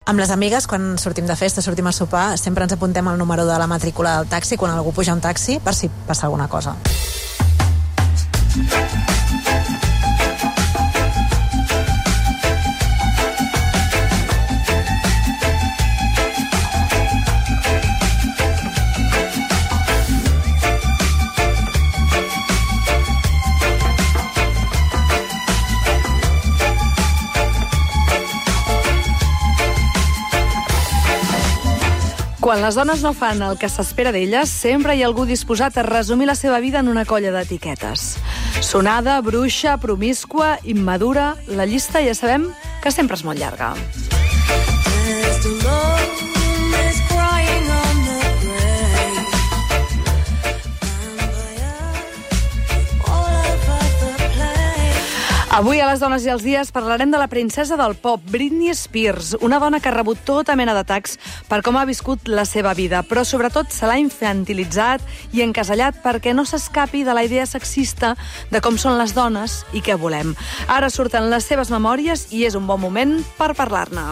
Amb les amigues, quan sortim de festa, sortim a sopar, sempre ens apuntem el número de la matrícula del taxi quan algú puja un taxi, per si passa alguna cosa. Quan les dones no fan el que s'espera d'elles, sempre hi ha algú disposat a resumir la seva vida en una colla d'etiquetes. Sonada, bruixa, promíscua, immadura... La llista ja sabem que sempre és molt llarga. Avui a Les Dones i els Dies parlarem de la princesa del pop, Britney Spears, una dona que ha rebut tota mena d'atacs per com ha viscut la seva vida, però sobretot se l'ha infantilitzat i encasellat perquè no s'escapi de la idea sexista de com són les dones i què volem. Ara surten les seves memòries i és un bon moment per parlar-ne.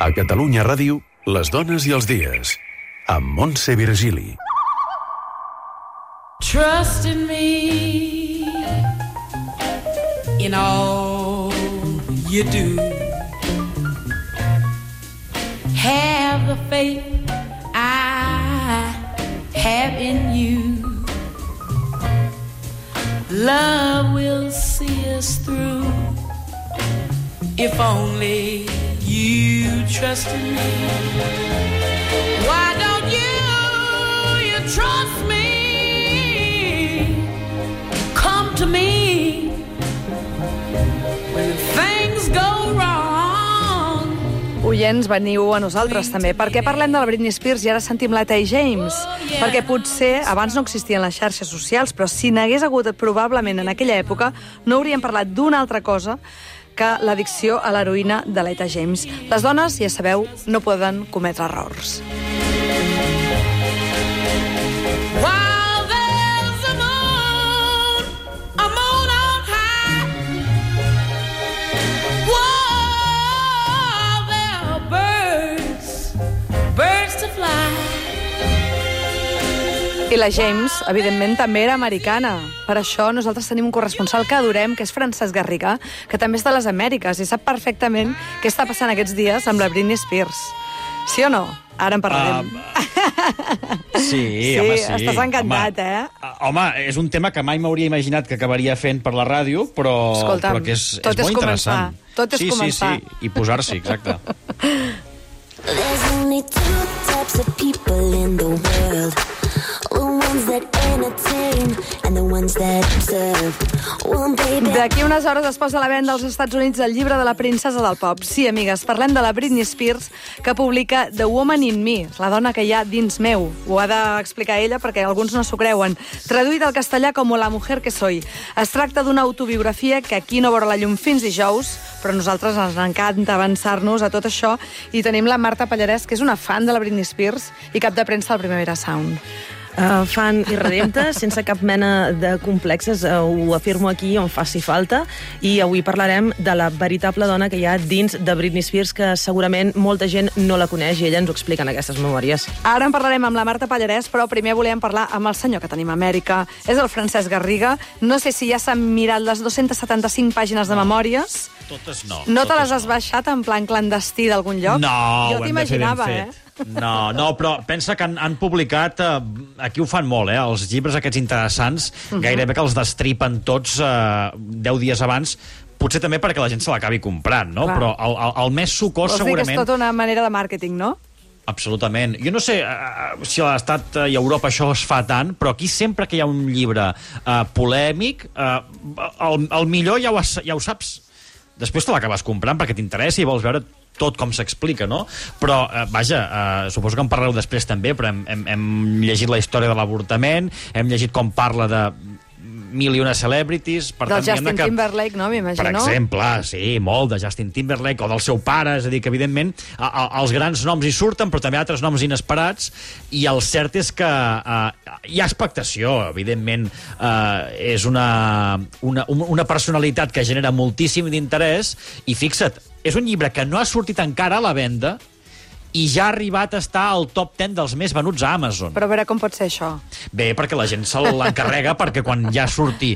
A Catalunya Ràdio, Les Dones i els Dies, amb Montse Virgili. Trust in me in all you do. Have the faith I have in you. Love will see us through if only you trust in me. Why don't you trust me? Come to me when things go wrong. Oients, veniu a nosaltres també. Per què parlem de la Britney Spears i ara sentim la Etta James? Perquè potser abans no existien les xarxes socials, però si n'hagués hagut probablement en aquella època no hauríem parlat d'una altra cosa que l'addicció a l'heroïna de l'Etta James. Les dones, ja sabeu, no poden cometre errors. I la James, evidentment, també era americana. Per això nosaltres tenim un corresponsal que adorem, que és Francesc Garriga, que també està a les Amèriques i sap perfectament què està passant aquests dies amb la Britney Spears. Sí o no? Ara en parlarem. Sí, home, sí. Estàs encantat, Home, és un tema que mai m'hauria imaginat que acabaria fent per la ràdio, però, escolta'm, però que és tot molt interessant. Tot és començar. Sí, i posar-s'hi, exacte. There's only two types of people in the world. The ones that entertain and the ones that observe. One baby. D'aquí unes hores es posa a la venda als Estats Units el llibre de la princesa del pop. Sí, amigues, parlem de la Britney Spears, que publica The Woman in Me, la dona que hi ha dins meu. Ho ha d'explicar ella perquè alguns no s'ho creuen. Traduït al castellà com La mujer que soy. Es tracta d'una autobiografia que aquí no veurà la llum fins dijous, però a nosaltres ens encanta avançar-nos a tot això i tenim la Marta Pallarès, que és una fan de la Britney Spears i cap de premsa del Primavera Sound. Fan i redempte, sense cap mena de complexes, ho afirmo aquí on faci falta, i avui parlarem de la veritable dona que hi ha dins de Britney Spears, que segurament molta gent no la coneix i ella ens ho explica en aquestes memòries. Ara en parlarem amb la Marta Pallarès, però primer volíem parlar amb el senyor que tenim a Amèrica. És el Francesc Garriga. No sé si ja s'han mirat les 275 pàgines de memòries. Totes no. No te les has baixat en plan clandestí d'algun lloc? No, jo t'imaginava, No, però pensa que han publicat, aquí ho fan molt, els llibres aquests interessants, gairebé que els destripen tots 10 dies abans, potser també perquè la gent se l'acabi comprant, no? Clar. Però el més sucós segurament... Vols dir que és tota una manera de màrqueting, no? Absolutament. Jo no sé si a l'Estat i a Europa això es fa tant, però aquí sempre que hi ha un llibre polèmic, el millor ja ho saps. Després te l'acabes comprant perquè t'interessa i vols veure tot com s'explica, no? Però, vaja, suposo que en parlareu després també, però hem llegit la història de l'avortament, hem llegit com parla mil i una celebrities. Per Del tant, diguem-ne Justin Timberlake, no, m'imagino? Per exemple, sí, molt de Justin Timberlake o del seu pare, és a dir, que evidentment els grans noms hi surten, però també altres noms inesperats, i el cert és que hi ha expectació, evidentment. És una personalitat que genera moltíssim d'interès, i fixa't, és un llibre que no ha sortit encara a la venda i ja ha arribat a estar al top 10 dels més venuts a Amazon. Però a veure com pot ser això. Bé, perquè la gent se l'encarrega perquè quan ja surti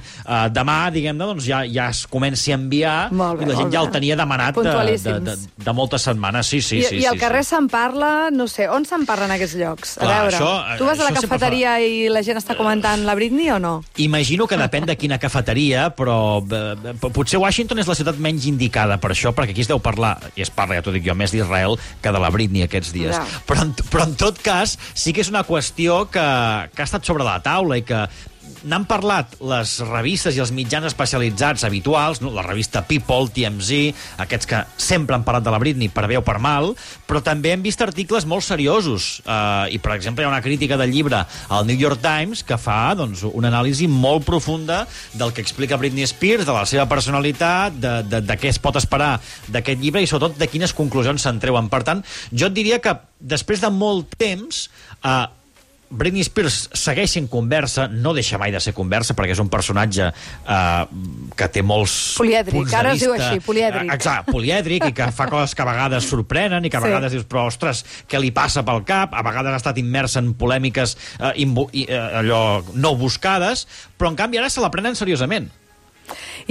demà, diguem-ne, doncs ja es comenci a enviar, i la gent ja el tenia demanat de moltes setmanes. Sí. I al carrer se'n parla, no sé, on se'n parla en aquests llocs? A veure, tu vas a la cafeteria i la gent està comentant la Britney o no? Imagino que depèn de quina cafeteria, però potser Washington és la ciutat menys indicada per això, perquè aquí es deu parlar, i es parla, ja t'ho dic jo, més d'Israel que de la Britney aquests dies. Ja. Però en tot cas, sí que és una qüestió que ha estat sobre la taula i que n'han parlat les revistes i els mitjans especialitzats habituals, no? La revista People, TMZ, aquests que sempre han parlat de la Britney per bé o per mal, però també hem vist articles molt seriosos. I, per exemple, hi ha una crítica del llibre al New York Times que fa una anàlisi molt profunda del que explica Britney Spears, de la seva personalitat, de què es pot esperar d'aquest llibre i, sobretot, de quines conclusions se'n treuen. Per tant, jo et diria que després de molt temps Britney Spears segueix sent conversa, no deixa mai de ser conversa, perquè és un personatge que té molts polièdric, punts de vista. Ara es diu així, polièdric. Exacte, polièdric, i que fa coses que a vegades sorprenen, i que a vegades dius, però, ostres, què li passa pel cap? A vegades ha estat immersa en polèmiques allò no buscades, però en canvi ara se la prenen seriosament.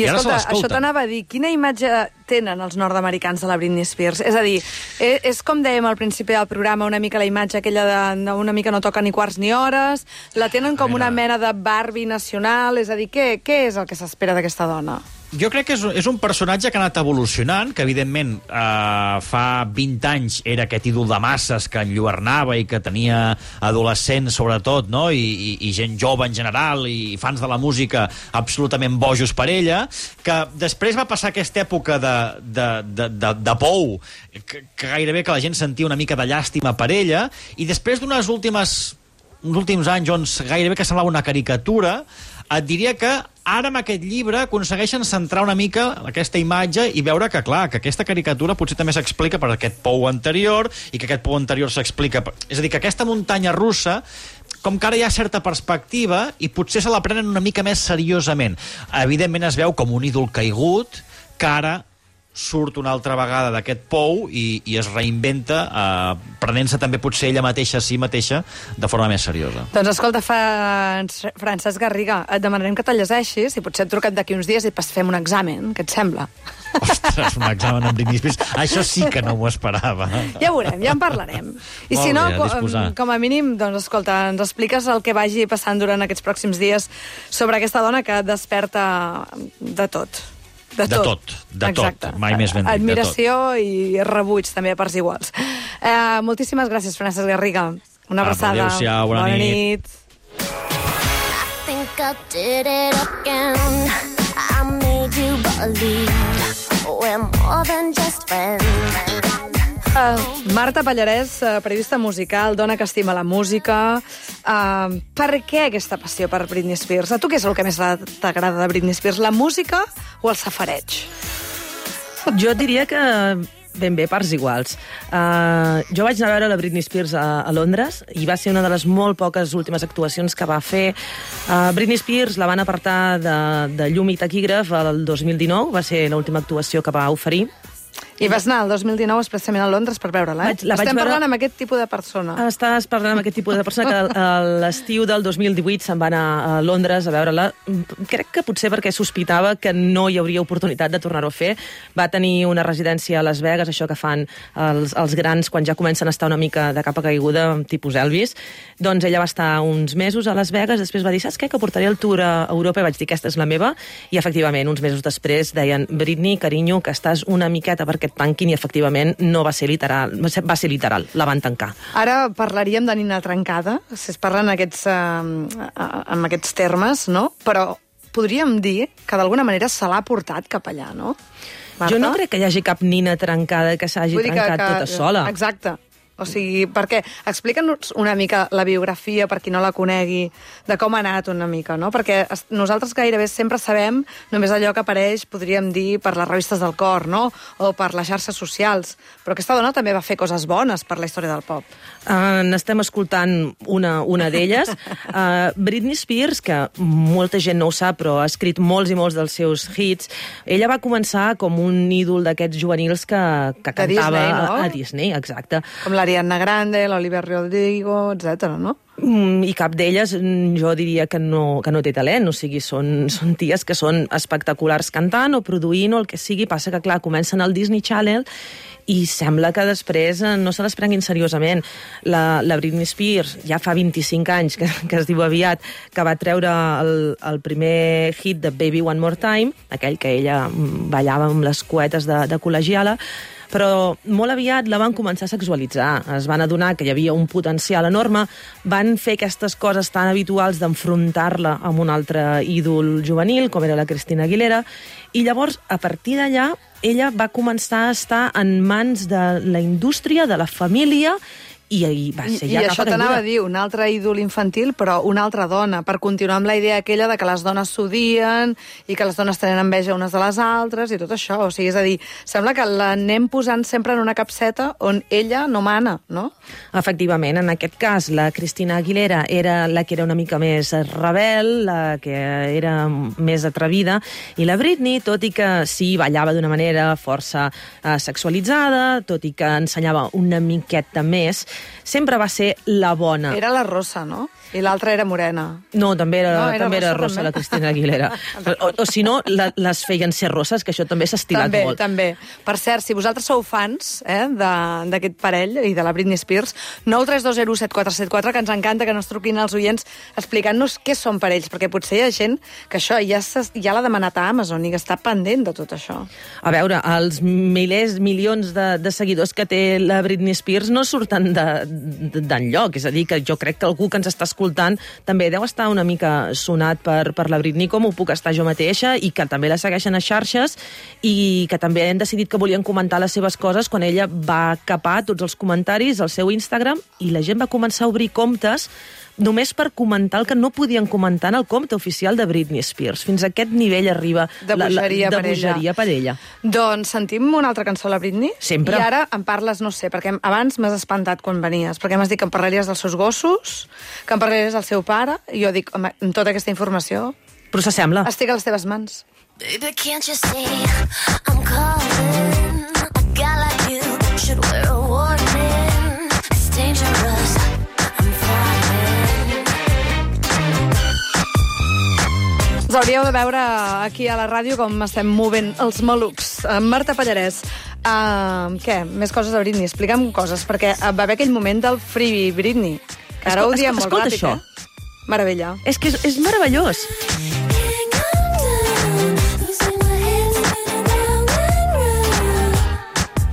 I escolta, això t'anava a dir, quina imatge tenen els nord-americans de la Britney Spears? És a dir, és com dèiem al principi del programa, una mica la imatge aquella una mica no toca ni quarts ni hores, la tenen com una mena de Barbie nacional, és a dir, què és el que s'espera d'aquesta dona? Jo crec que és un personatge que ha anat evolucionant, que evidentment fa 20 anys era aquest ídol de masses que enlluernava i que tenia adolescents sobretot, no? I gent jove en general i fans de la música absolutament bojos per ella, que després va passar aquesta època de pou, que gairebé que la gent sentia una mica de llàstima per ella, i després d'uns últims anys on gairebé que semblava una caricatura, et diria que ara amb aquest llibre aconsegueixen centrar una mica aquesta imatge i veure que, clar, que aquesta caricatura potser també s'explica per aquest pou anterior i que aquest pou anterior s'explica... És a dir, que aquesta muntanya russa, com que ara hi ha certa perspectiva i potser se la prenen una mica més seriosament. Evidentment es veu com un ídol caigut que ara surt una altra vegada d'aquest pou i es reinventa, prenent-se també potser ella mateixa a si mateixa de forma més seriosa. Doncs escolta, Francesc Garriga, et demanarem que te'l llegeixis i potser et truquem d'aquí uns dies i fem un examen, què et sembla? Ostres, un examen amb Britney Spears. Això sí que no m'ho esperava. Ja veurem, ja en parlarem. I si no, com a mínim, doncs escolta, ens expliques el que vagi passant durant aquests pròxims dies sobre aquesta dona que desperta de tot. De tot. Mai més ben dit. Admiració i rebuig, també, a parts iguals. Moltíssimes gràcies, Francesc Garriga. Una abraçada. Adéu-siau, bona nit. I think I did it again. I made you believe we're more than just friends. Marta Pallarès, periodista musical, dona que estima la música. Per què aquesta passió per Britney Spears? A tu què és el que més t'agrada de Britney Spears? La música o el safareig? Jo diria que ben bé, parts iguals. Jo vaig anar a veure la Britney Spears a Londres i va ser una de les molt poques últimes actuacions que va fer. Britney Spears la van apartar de llum i taquígraf el 2019, va ser l'última actuació que va oferir. I vas anar el 2019 expressament a Londres per veure-la, eh? Estem parlant amb aquest tipus de persona. Estàs parlant amb aquest tipus de persona que a l'estiu del 2018 se'n va anar a Londres a veure-la. Crec que potser perquè sospitava que no hi hauria oportunitat de tornar-ho a fer. Va tenir una residència a Las Vegas, això que fan els grans quan ja comencen a estar una mica de capa caiguda, tipus Elvis. Doncs ella va estar uns mesos a Las Vegas, després va dir, saps què, que portaré el tour a Europa, i vaig dir, aquesta és la meva, i efectivament, uns mesos després deien, Britney, carinyo, que estàs una miqueta perquè et tanquin, i efectivament no va ser literal, va ser literal, la van tancar. Ara parlaríem de nina trencada, si es parlen amb aquests termes, no? Però podríem dir que d'alguna manera se l'ha portat cap allà, no? Marta? Jo no crec que hi hagi cap nina trencada que s'hagi trencat tota sola. Exacte. O sigui, perquè explica'ns una mica la biografia, per qui no la conegui, de com ha anat una mica, no? Perquè nosaltres gairebé sempre sabem només allò que apareix, podríem dir, per les revistes del cor, no? O per les xarxes socials. Però aquesta dona també va fer coses bones per la història del pop. N'estem escoltant una d'elles. Britney Spears, que molta gent no ho sap, però ha escrit molts i molts dels seus hits. Ella va començar com un ídol d'aquests juvenils que cantava Disney, no? A Disney, exacte. Com l'Ariana Grande, l'Olivia Rodrigo, etc., no? I cap d'elles jo diria que no té talent, o sigui, són ties que són espectaculars cantant o produint o el que sigui, passa que, clar, comencen al Disney Channel i sembla que després no se les prenguin seriosament. La Britney Spears ja fa 25 anys, que es diu aviat, que va treure el primer hit de Baby One More Time, aquell que ella ballava amb les cuetes de col·legiala, però molt aviat la van començar a sexualitzar. Es van adonar que hi havia un potencial enorme, van fer aquestes coses tan habituals d'enfrontar-la amb un altre ídol juvenil, com era la Christina Aguilera, i llavors, a partir d'allà, ella va començar a estar en mans de la indústria, de la família, i va ser ja I això t'anava a dir, un altre ídol infantil, però una altra dona, per continuar amb la idea aquella de que les dones s'odien i que les dones tenen enveja unes de les altres i tot això. O sigui, és a dir, sembla que l'anem posant sempre en una capseta on ella no mana, no? Efectivament, en aquest cas, la Christina Aguilera era la que era una mica més rebel, la que era més atrevida, i la Britney, tot i que sí, ballava d'una manera força sexualitzada, tot i que ensenyava una miqueta més, sempre va ser la bona. Era la rossa, no? I l'altra era morena. No, també era rossa també. la Christina Aguilera. o si no, les feien ser rosses, que això també s'ha estilat molt. També. Per cert, si vosaltres sou fans d'aquest parell i de la Britney Spears, 932017474, que ens encanta que ens truquin els oients explicant-nos què són per ells, perquè potser hi ha gent que això ja l'ha demanat a Amazon i que està pendent de tot això. A veure, els milions de seguidors que té la Britney Spears no surten d'enlloc. És a dir, que jo crec que algú que ens està escoltant també deu estar una mica sonat per la Britney, com ho puc estar jo mateixa, i que també la segueixen a xarxes i que també han decidit que volien comentar les seves coses quan ella va capar tots els comentaris al seu Instagram i la gent va començar a obrir comptes només per comentar el que no podien comentar en el compte oficial de Britney Spears. Fins a aquest nivell arriba de bogeria per ella. Doncs sentim una altra cançó de la Britney? Sempre. I ara em parles, no sé, perquè abans m'has espantat quan venies, perquè m'has dit que em parlaries dels seus gossos, que em parlaries del seu pare, i jo dic, home, amb tota aquesta informació... Però s'assembla. Estic a les teves mans. Baby, can't you see I'm calling? A guy like you should wear a warning. It's dangerous. Us hauríeu de veure aquí a la ràdio com estem movent els malucs. Marta Pallarès, què? Més coses de Britney. Explica'm coses, perquè va haver aquell moment del Free Britney. Ara ho diem molt ràpid, això. Meravella. És que és meravellós.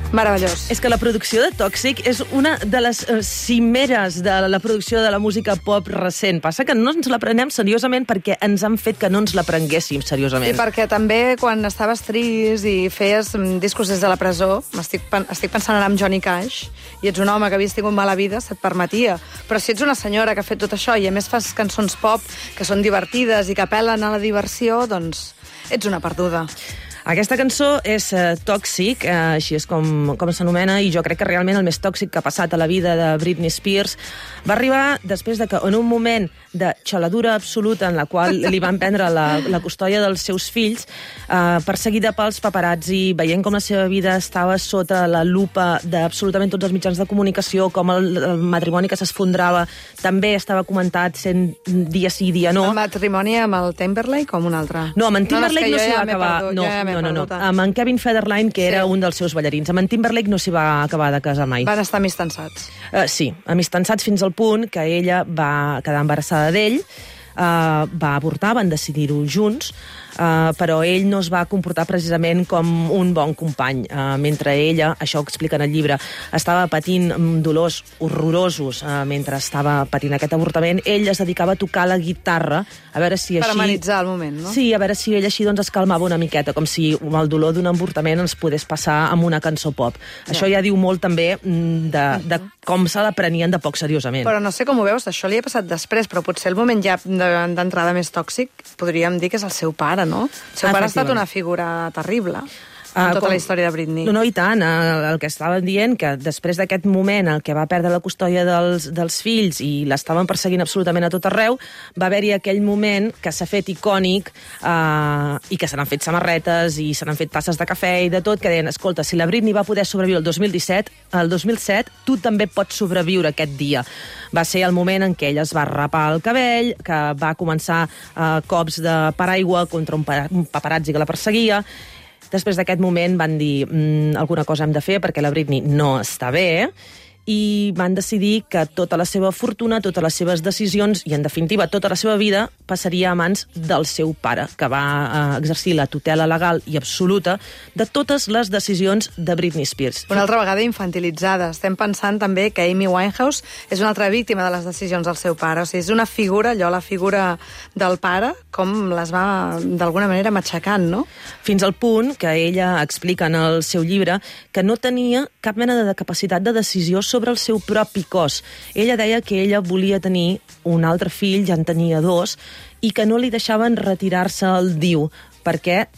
Meravellós. És que la producció de Tòxic és una de les cimeres de la producció de la música pop recent. Passa que no ens la prenem seriosament perquè ens han fet que no ens la prenguéssim seriosament. I perquè també quan estaves trist i feies discos des de la presó, estic pensant ara en Johnny Cash, i ets un home que havies tingut mala vida, se't permetia. Però si ets una senyora que ha fet tot això i a més fas cançons pop que són divertides i que apel·len a la diversió, doncs ets una perduda. Aquesta cançó és Tòxic, així és com s'anomena, i jo crec que realment el més tòxic que ha passat a la vida de Britney Spears va arribar després de que en un moment de xaladura absoluta en la qual li van prendre la custòdia dels seus fills, perseguida pels paparazzi, veient com la seva vida estava sota la lupa d'absolutament tots els mitjans de comunicació, com el matrimoni que s'esfondrava també estava comentat sent dia sí, dia no. El matrimoni amb el Timberlake o amb un altre? No, amb en Timberlake no s'hi va acabar. No. Amb en Kevin Federline, que era un dels seus ballarins. Amb en Timberlake no s'hi va acabar de casar mai. Van estar amistançats. Sí, amistançats fins al punt que ella va quedar embarassada d'ell, va avortar, van decidir-ho junts, però ell no es va comportar precisament com un bon company. Mentre ella, això ho explica en el llibre, estava patint dolors horrorosos mentre estava patint aquest avortament, ell es dedicava a tocar la guitarra, a veure si així... Per amenitzar el moment, no? Sí, a veure si ell així doncs, es calmava una miqueta, com si el dolor d'un avortament ens podés passar amb una cançó pop. Això ja diu molt també de com se la prenien de poc seriosament. Però no sé com ho veus, això li ha passat després, però potser el moment ja d'entrada més tòxic podríem dir que és el seu pare, no? El seu pare ha estat una figura terrible en tota la història de Britney. No, i tant. El que estàvem dient, que després d'aquest moment el que va perdre la custòdia dels fills i l'estaven perseguint absolutament a tot arreu, va haver-hi aquell moment que s'ha fet icònic i que se n'han fet samarretes i se n'han fet tasses de cafè i de tot, que deien, escolta, si la Britney va poder sobreviure el 2007, tu també pots sobreviure aquest dia. Va ser el moment en què ella es va rapar el cabell, que va començar cops de paraigua contra un paparazzi que la perseguia. Després d'aquest moment van dir alguna cosa hem de fer perquè la Britney no està bé, i van decidir que tota la seva fortuna, totes les seves decisions i, en definitiva, tota la seva vida passaria a mans del seu pare, que va exercir la tutela legal i absoluta de totes les decisions de Britney Spears. Una altra vegada infantilitzada. Estem pensant també que Amy Winehouse és una altra víctima de les decisions del seu pare. O sigui, és una figura, la figura del pare, com les va, d'alguna manera, matxacant, no? Fins al punt que ella explica en el seu llibre que no tenia cap mena de capacitat de decisió sobre el seu propi cos. Ella deia que ella volia tenir un altre fill, ja en tenia 2, i que no li deixaven retirar-se al DIU, perquè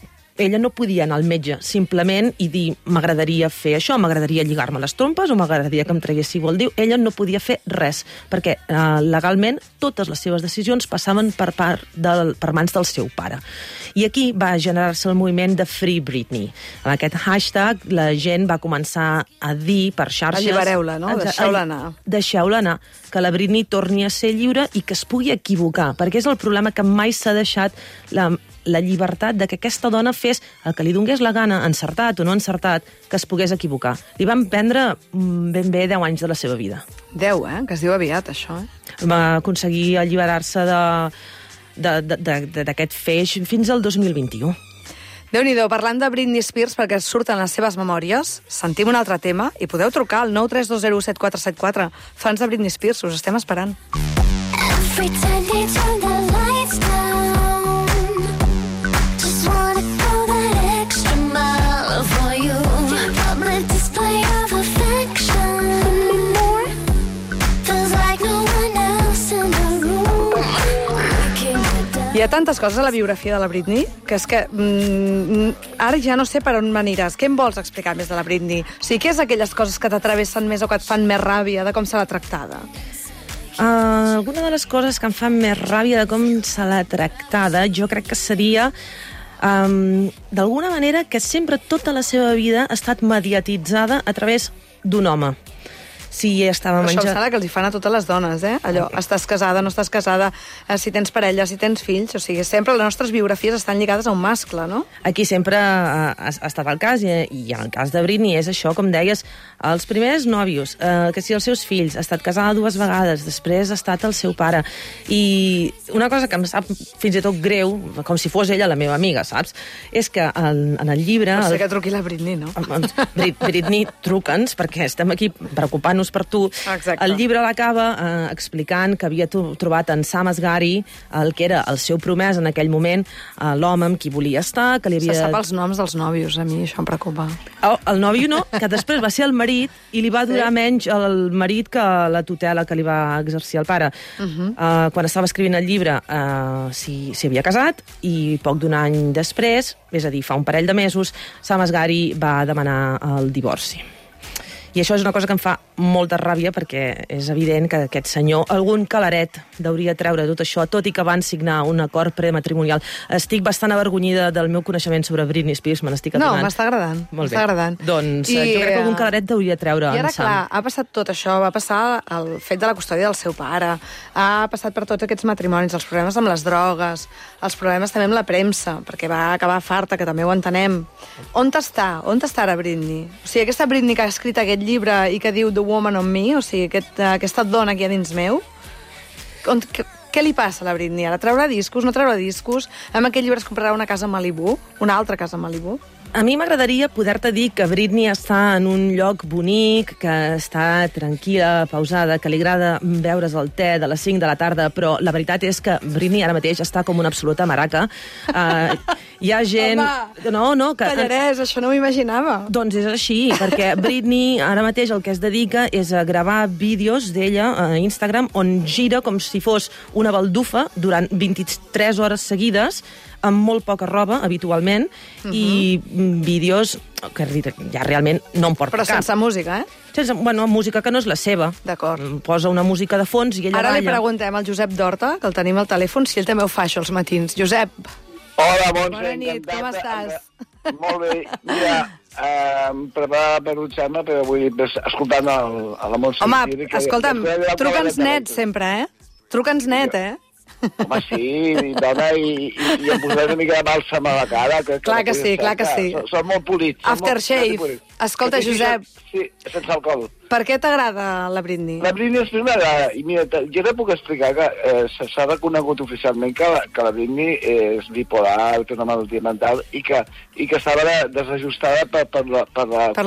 ella no podia anar al metge simplement i dir m'agradaria fer això, m'agradaria lligar-me les trompes o m'agradaria que em traguéssiu el DIU. Ella no podia fer res, perquè legalment totes les seves decisions passaven per mans del seu pare. I aquí va generar-se el moviment de Free Britney. Amb aquest hashtag la gent va començar a dir per xarxes... Allibereu-la, no? Deixeu-la anar. Deixeu-la anar, que la Britney torni a ser lliure i que es pugui equivocar, perquè és el problema que mai s'ha deixat la llibertat de que aquesta dona fes el que li donés la gana, encertat o no encertat, que es pogués equivocar. Li van prendre ben bé 10 anys de la seva vida. 10, que es diu aviat, això, Va aconseguir alliberar-se d'aquest feix fins al 2021. Déu-n'hi-do, parlant de Britney Spears, perquè surten les seves memòries, sentim un altre tema i podeu trucar al 932017474. Fans de Britney Spears, us estem esperant. Every time they turn the lights down, just wanna go that extra mile for you. Public display of affection, feels like no one else in the room. Hi ha tantes coses a la biografia de la Britney que és que ara ja no sé per on m'aniràs. Què em vols explicar més de la Britney? O sigui, què és aquelles coses que t'atravessen més o que et fan més ràbia de com se l'ha tractada? Alguna de les coses que em fan més ràbia de com se l'ha tractada, jo crec que seria d'alguna manera que sempre tota la seva vida ha estat mediatitzada a través d'un home. Si estava Això em menjant... sembla que els hi fan a totes les dones, Allò, estàs casada, no estàs casada, si tens parella, si tens fills, o sigui, sempre les nostres biografies estan lligades a un mascle, no? Aquí sempre ha estat el cas, i en el cas de Britney és això, com deies, els primers nòvios, que si els seus fills, ha estat casada 2 vegades, després ha estat el seu pare, i una cosa que em sap fins i tot greu, com si fos ella la meva amiga, saps? És que en el llibre... Pot ser que truqui la Britney, no? Britney, truca'ns, perquè estem aquí preocupant-nos per tu. Exacte. El llibre l'acaba explicant que havia trobat en Sam Asghari, el que era el seu promès en aquell moment, l'home amb qui volia estar, que li havia... Se sap els noms dels nòvios, a mi això em preocupa. El nòvio no, que després va ser el marit i li va durar menys el marit que la tutela que li va exercir el pare. Quan estava escrivint el llibre s'hi havia casat i poc d'un any després, és a dir, fa un parell de mesos, Sam Asghari va demanar el divorci. I això és una cosa que em fa molta ràbia perquè és evident que aquest senyor, algun calaret, hauria treure tot això, tot i que van signar un acord prematrimonial. Estic bastant avergonyida del meu coneixement sobre Britney Spears, me n'estic adonant. No, m'està agradant. Molt bé. Doncs jo crec que algun calaret hauria treure en Sam. I ara, clar, ha passat tot això, va passar el fet de la custòdia del seu pare, ha passat per tots aquests matrimonis, els problemes amb les drogues, els problemes també amb la premsa, perquè va acabar farta, que també ho entenem. On està? On està ara Britney? O sigui, aquesta Britney que ha escrit aquest llibre i que diu The Woman on Me, o sigui, aquesta dona que hi ha dins meu, Què li passa a la Britney ara? Traurà discos, no traurà discos? Amb aquest llibre es comprarà una casa a Malibu? Una altra casa a Malibu? A mi m'agradaria poder-te dir que Britney està en un lloc bonic, que està tranquil·la, pausada, que li agrada beure's el te de les 5 de la tarda, però la veritat és que Britney ara mateix està com una absoluta maraca. Hi ha gent... Home, no, que... Pallarès, això no m'ho imaginava. Doncs és així, perquè Britney ara mateix el que es dedica és a gravar vídeos d'ella a Instagram on gira com si fos una baldufa durant 23 hores seguides, amb molt poca roba, habitualment, i vídeos que ja realment no em porta Però cap. sense música, Sense, música que no és la seva. D'acord. Posa una música de fons i ella Ara li balla. preguntem al Josep d'Horta, que el tenim al telèfon, si ell també ho fa, això, els matins. Josep, Hola, Montse. bona nit, encantat. com estàs? Molt bé. Mira, em preparava per dutxar-me, però vull dir, escoltant a la Montse. Home, escolta'm, truca'ns net sempre, Truca'ns net, Home, sí, dona, i em posaré una mica de bàlsam a la cara. Clar que sí, clar que sí. Són molt polits. Aftershave. Escolta, Josep. Sí, sense alcohol. Per què t'agrada la Britney? La Britney m'agrada. I mira, jo te puc explicar que s'ha reconegut oficialment que la Britney és bipolar, té una malaltia mental, i que estava desajustada per Per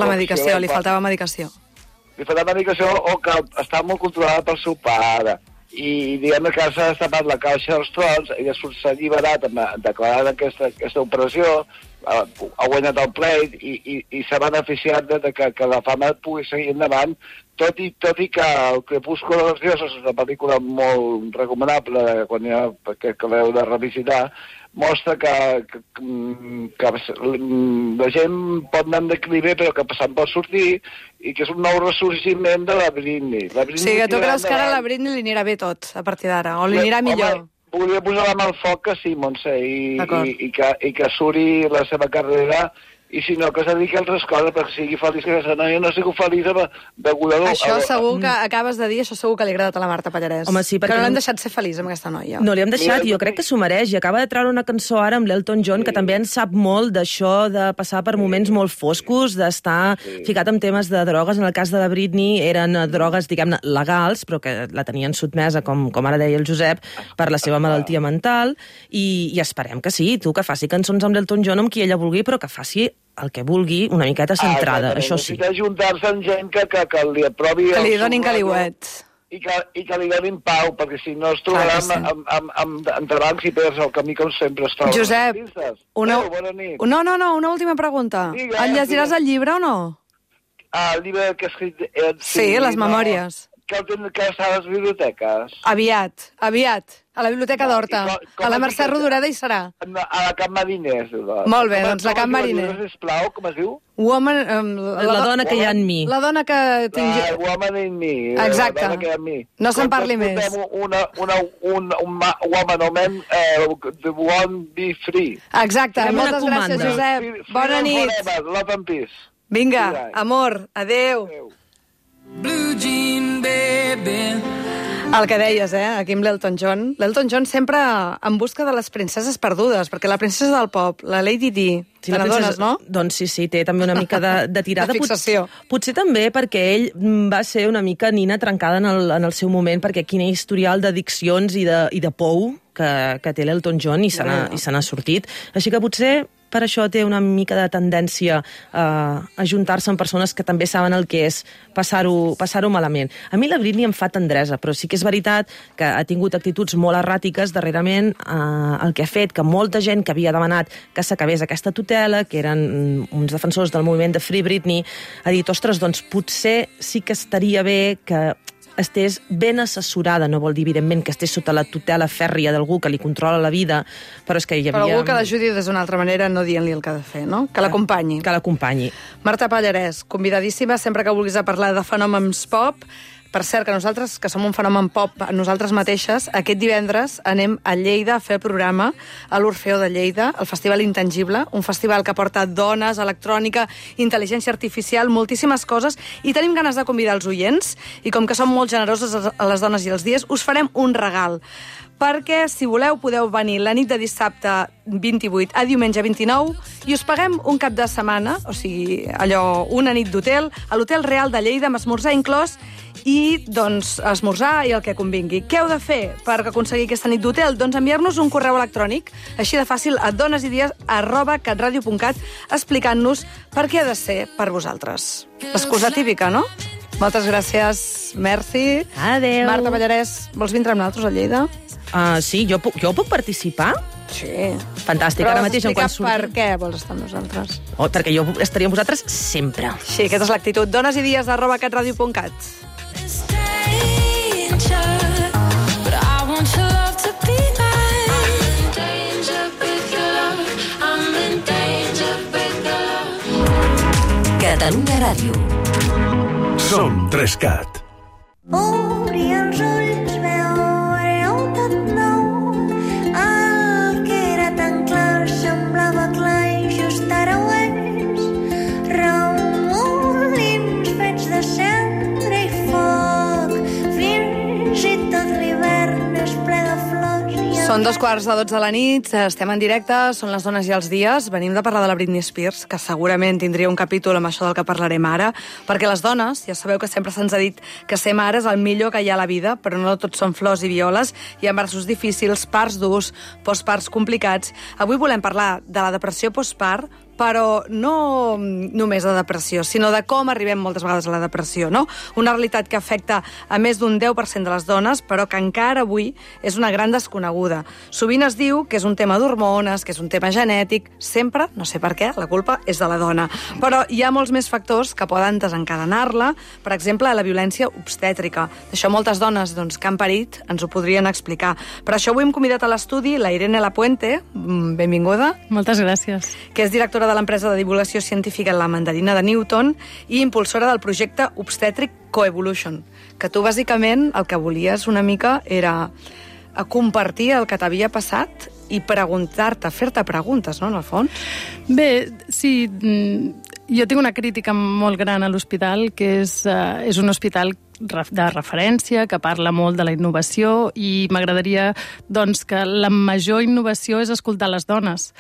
la medicació, li faltava medicació. Li faltava medicació o que estava molt controlada pel seu pare. I diguem que s'ha destapat la caixa dels trons, ella s'ha alliberat declarant aquesta operació, ha guanyat el pleit i s'ha beneficiat de que la fama pugui seguir endavant, tot i que el Crepúsculo de los Dioses és una pel·lícula molt recomanable que l'heu de revisitar, mostra que la gent pot anar en declive però que se'n pot sortir i que és un nou ressorgiment de la Britney. O sigui, que tu creus que ara a la Britney li anirà bé tot, a partir d'ara, o li anirà millor? Home, volia posar la mà al foc que sí, Montse, i que suri la seva carrera, i si no, que es dediqui a altres coses, perquè sigui feliç, que aquesta noia no sigui feliç deguda a... Això segur que acabes de dir, això segur que li ha agradat a la Marta Pallarès. Home, sí, perquè que no l'hem deixat ser feliç amb aquesta noia. No li hem deixat, jo crec que s'ho mereix, i acaba de treure una cançó ara amb l'Elton John, que també en sap molt d'això de passar per moments molt foscos, d'estar ficat en temes de drogues. En el cas de la Britney eren drogues, diguem-ne, legals, però que la tenien sotmesa, com ara deia el Josep, per la seva malaltia mental, i esperem que sí, tu, que faci cançons amb l'Elton John amb qui ella vulgui, però que faci el que vulgui, una miqueta centrada, això sí. Necessita juntar-se amb gent que li aprovi... Que li donin caliuets. I que li donin pau, perquè si no es trobarà amb entrebancs i perds el camí com sempre es troba. Josep, bona nit. No, una última pregunta. El llegiràs el llibre o no? El llibre que ha escrit... Sí, les memòries. Que està a les biblioteques. Aviat. A la Biblioteca d'Horta. A la Mercè Rodoreda hi serà. A la Camp Mariners. Molt bé, doncs la Camp Mariners. Sisplau, com es diu? La dona que hi ha en mi. La dona que tinc jo. Woman in me. Exacte. La dona que hi ha en mi. No se'n parli més. Un woman o man won't be free. Exacte. Moltes gràcies, Josep. Bona nit. Love and peace. Vinga, amor. Adéu. Blue jean baby. El que deies, aquí amb l'Elton John. L'Elton John sempre en busca de les princeses perdudes, perquè la princesa del pop, la Lady Di, sí, te n'adones, no? Doncs sí, té també una mica de tirada. De fixació. Potser també perquè ell va ser una mica nina trencada en el seu moment, perquè quin historial d'addiccions i de pou que té l'Elton John i se n'ha sortit. Així que potser per això té una mica de tendència a juntar-se amb persones que també saben el que és passar-ho malament. A mi la Britney em fa tendresa, però sí que és veritat que ha tingut actituds molt erràtiques darrerament, el que ha fet que molta gent que havia demanat que s'acabés aquesta tutela, que eren uns defensors del moviment de Free Britney, ha dit, ostres, doncs potser sí que estaria bé que estés ben assessorada, no vol dir, evidentment, que estés sota la tutela fèrria d'algú que li controla la vida, però és que hi havia... Però algú que l'ajudi d'una altra manera, no dient-li el que ha de fer, no? Que l'acompanyi. Que l'acompanyi. Marta Pallarès, convidadíssima, sempre que vulguis a parlar de fenòmens pop. Per cert, que nosaltres, que som un fenomen pop nosaltres mateixes, aquest divendres anem a Lleida a fer el programa a l'Orfeó de Lleida, el Festival Intangible, un festival que porta dones, electrònica, intel·ligència artificial, moltíssimes coses, i tenim ganes de convidar els oients, i com que som molt generosos a les dones i els dies, us farem un regal. perquè, si voleu, podeu venir la nit de dissabte 28 a diumenge 29 i us paguem un cap de setmana, o sigui, allò, una nit d'hotel, a l'Hotel Real de Lleida, amb esmorzar inclòs, i, doncs, esmorzar i el que convingui. Què heu de fer per aconseguir aquesta nit d'hotel? Doncs enviar-nos un correu electrònic, així de fàcil, a donesidees@catradio.cat, explicant-nos per què ha de ser per vosaltres. L'excusa típica, no? Moltes gràcies, Merci. Adéu. Marta Pallarès, vols vindre amb nosaltres a Lleida? Sí, jo puc participar? Sí. Fantàstic, ara mateix en quan surti. Per què vols estar amb nosaltres? Perquè jo estaria amb vosaltres sempre. Sí, aquesta és l'actitud. donesidees@catradio.cat. Catalunya Ràdio. Som 3CAT. Obri els ulls, veureu tot nou. El que era tan clar semblava clar i just ara ho és. Remolins fets de cendra i foc. Fins i tot l'hivern és ple de flors. Són 2:45 de la nit, estem en directe, són les dones i els dies. Venim de parlar de la Britney Spears, que segurament tindria un capítol amb això del que parlarem ara, perquè les dones, ja sabeu que sempre se'ns ha dit que ser mare és el millor que hi ha a la vida, però no tot són flors i violes, hi ha embarassos difícils, parts durs, postparts complicats. Avui volem parlar de la depressió postpart, però no només de depressió, sinó de com arribem moltes vegades a la depressió, no? Una realitat que afecta a més d'un 10% de les dones, però que encara avui és una gran desconeguda. Sovint es diu que és un tema d'hormones, que és un tema genètic, sempre, no sé per què, la culpa és de la dona. Però hi ha molts més factors que poden desencadenar-la, per exemple, la violència obstètrica. D'això moltes dones que han parit ens ho podrien explicar. Per això avui hem convidat a l'estudi la Irene Lapuente, benvinguda. Moltes gràcies. Que és directora de l'empresa de divulgació científica La Mandarina de Newton i impulsora del projecte obstètric Coevolution, que tu bàsicament el que volies una mica era compartir el que t'havia passat i preguntar-te, fer-te preguntes, no, en el fons? Bé, sí, jo tinc una crítica molt gran a l'hospital, que és un hospital de referència, que parla molt de la innovació, i m'agradaria doncs, que la major innovació és escoltar les dones.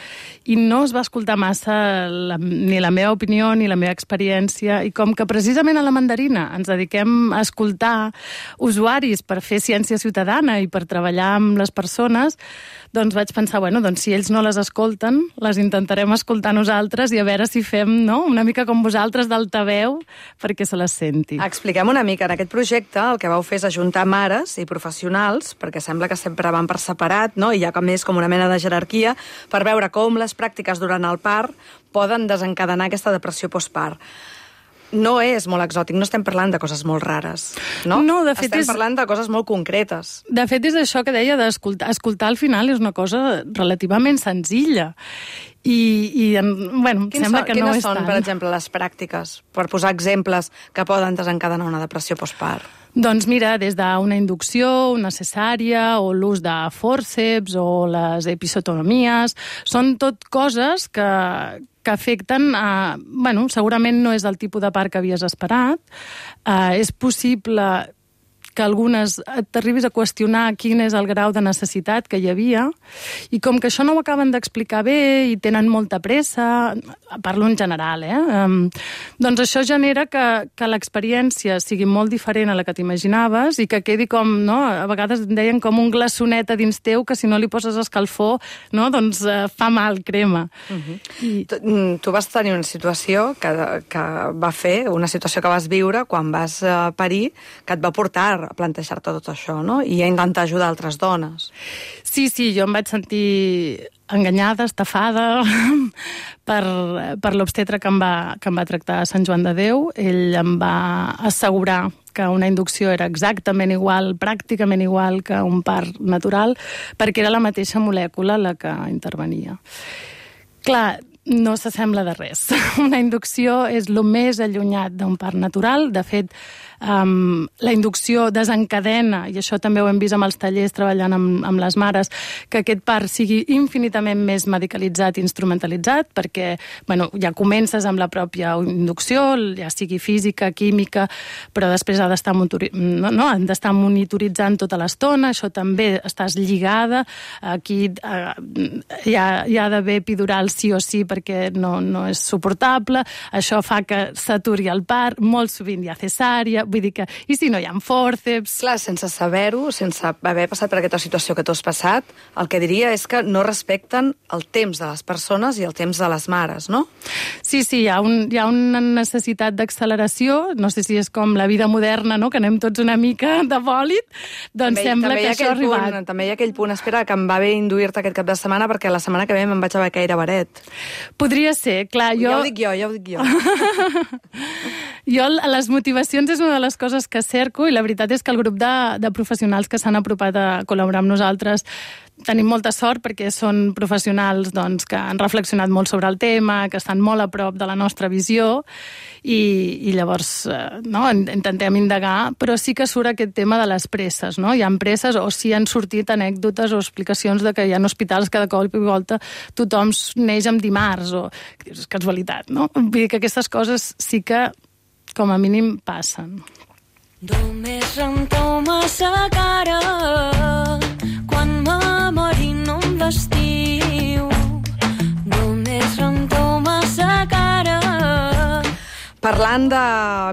I no es va escoltar massa ni la meva opinió ni la meva experiència, i com que precisament a la Mandarina ens dediquem a escoltar usuaris per fer ciència ciutadana i per treballar amb les persones, doncs vaig pensar, doncs si ells no les escolten, les intentarem escoltar nosaltres i a veure si fem una mica com vosaltres d'altaveu perquè se les senti. Expliquem una mica. En aquest projecte el que vau fer és ajuntar mares i professionals, perquè sembla que sempre van per separat, no? I hi ha com una mena de jerarquia, per veure com les pràctiques durant el part poden desencadenar aquesta depressió postpart. No és molt exòtic, no estem parlant de coses molt rares, no? No, de fet estem parlant de coses molt concretes. De fet, és això que deia d'escoltar. Escoltar al final és una cosa relativament senzilla. Sembla que no és tant. Quines són, per exemple, les pràctiques, per posar exemples que poden desencadenar una depressió postpart? Doncs mira, des d'una inducció, una cesària, o l'ús de fòrceps, o les episiotomies, són tot coses que afecten segurament no és el tipus de part que havies esperat. És possible que algunes t'arribis a qüestionar quin és el grau de necessitat que hi havia, i com que això no ho acaben d'explicar bé i tenen molta pressa, parlo en general, doncs això genera que l'experiència sigui molt diferent a la que t'imaginaves i que quedi com, a vegades en deien com un glaçonet a dins teu que si no li poses escalfor, doncs fa mal, crema. Tu vas tenir una situació que va fer, una situació que vas viure quan vas parir, que et va portar a plantejar-te tot això, no? I a intentar ajudar altres dones. Sí, jo em vaig sentir enganyada, estafada per l'obstetre que em va tractar a Sant Joan de Déu. Ell em va assegurar que una inducció era exactament igual, pràcticament igual que un part natural, perquè era la mateixa molècula la que intervenia. Clar, no s'assembla de res. Una inducció és el més allunyat d'un part natural. De fet, la inducció desencadena, i això també ho hem vist amb els tallers treballant amb les mares, que aquest part sigui infinitament més medicalitzat i instrumentalitzat, perquè ja comences amb la pròpia inducció, ja sigui física, química, però després han d'estar monitoritzant tota l'estona, això també estàs lligada, aquí hi ha d'haver epidural sí o sí perquè no és suportable, això fa que s'aturi el part, molt sovint hi ha cesària, vull dir que, i si no hi ha fòrceps... Clar, sense saber-ho, sense haver passat per aquesta situació que tu has passat, el que diria és que no respecten el temps de les persones i el temps de les mares, no? Sí, hi ha una necessitat d'acceleració, no sé si és com la vida moderna, no?, que anem tots una mica de bòlit, doncs sembla que això ha arribat. També hi ha aquell punt, espera, que em va bé induir-te aquest cap de setmana perquè la setmana que ve me'n vaig a Becaire Baret. Podria ser, clar, jo... Ja ho dic jo. Jo, les motivacions és una de les coses que cerco, i la veritat és que el grup de professionals que s'han apropat a col·laborar amb nosaltres tenim molta sort perquè són professionals que han reflexionat molt sobre el tema, que estan molt a prop de la nostra visió, i llavors intentem indagar, però sí que surt aquest tema de les presses, no? Hi ha presses, o sí han sortit anècdotes o explicacions de que hi ha hospitals que de cop i volta tothom neix amb dimarts, o és casualitat, no? Vull dir que aquestes coses sí que com a mínim passen. Només renteu massa cara quan m'amori no em vestiu. Només renteu massa cara. Parlant de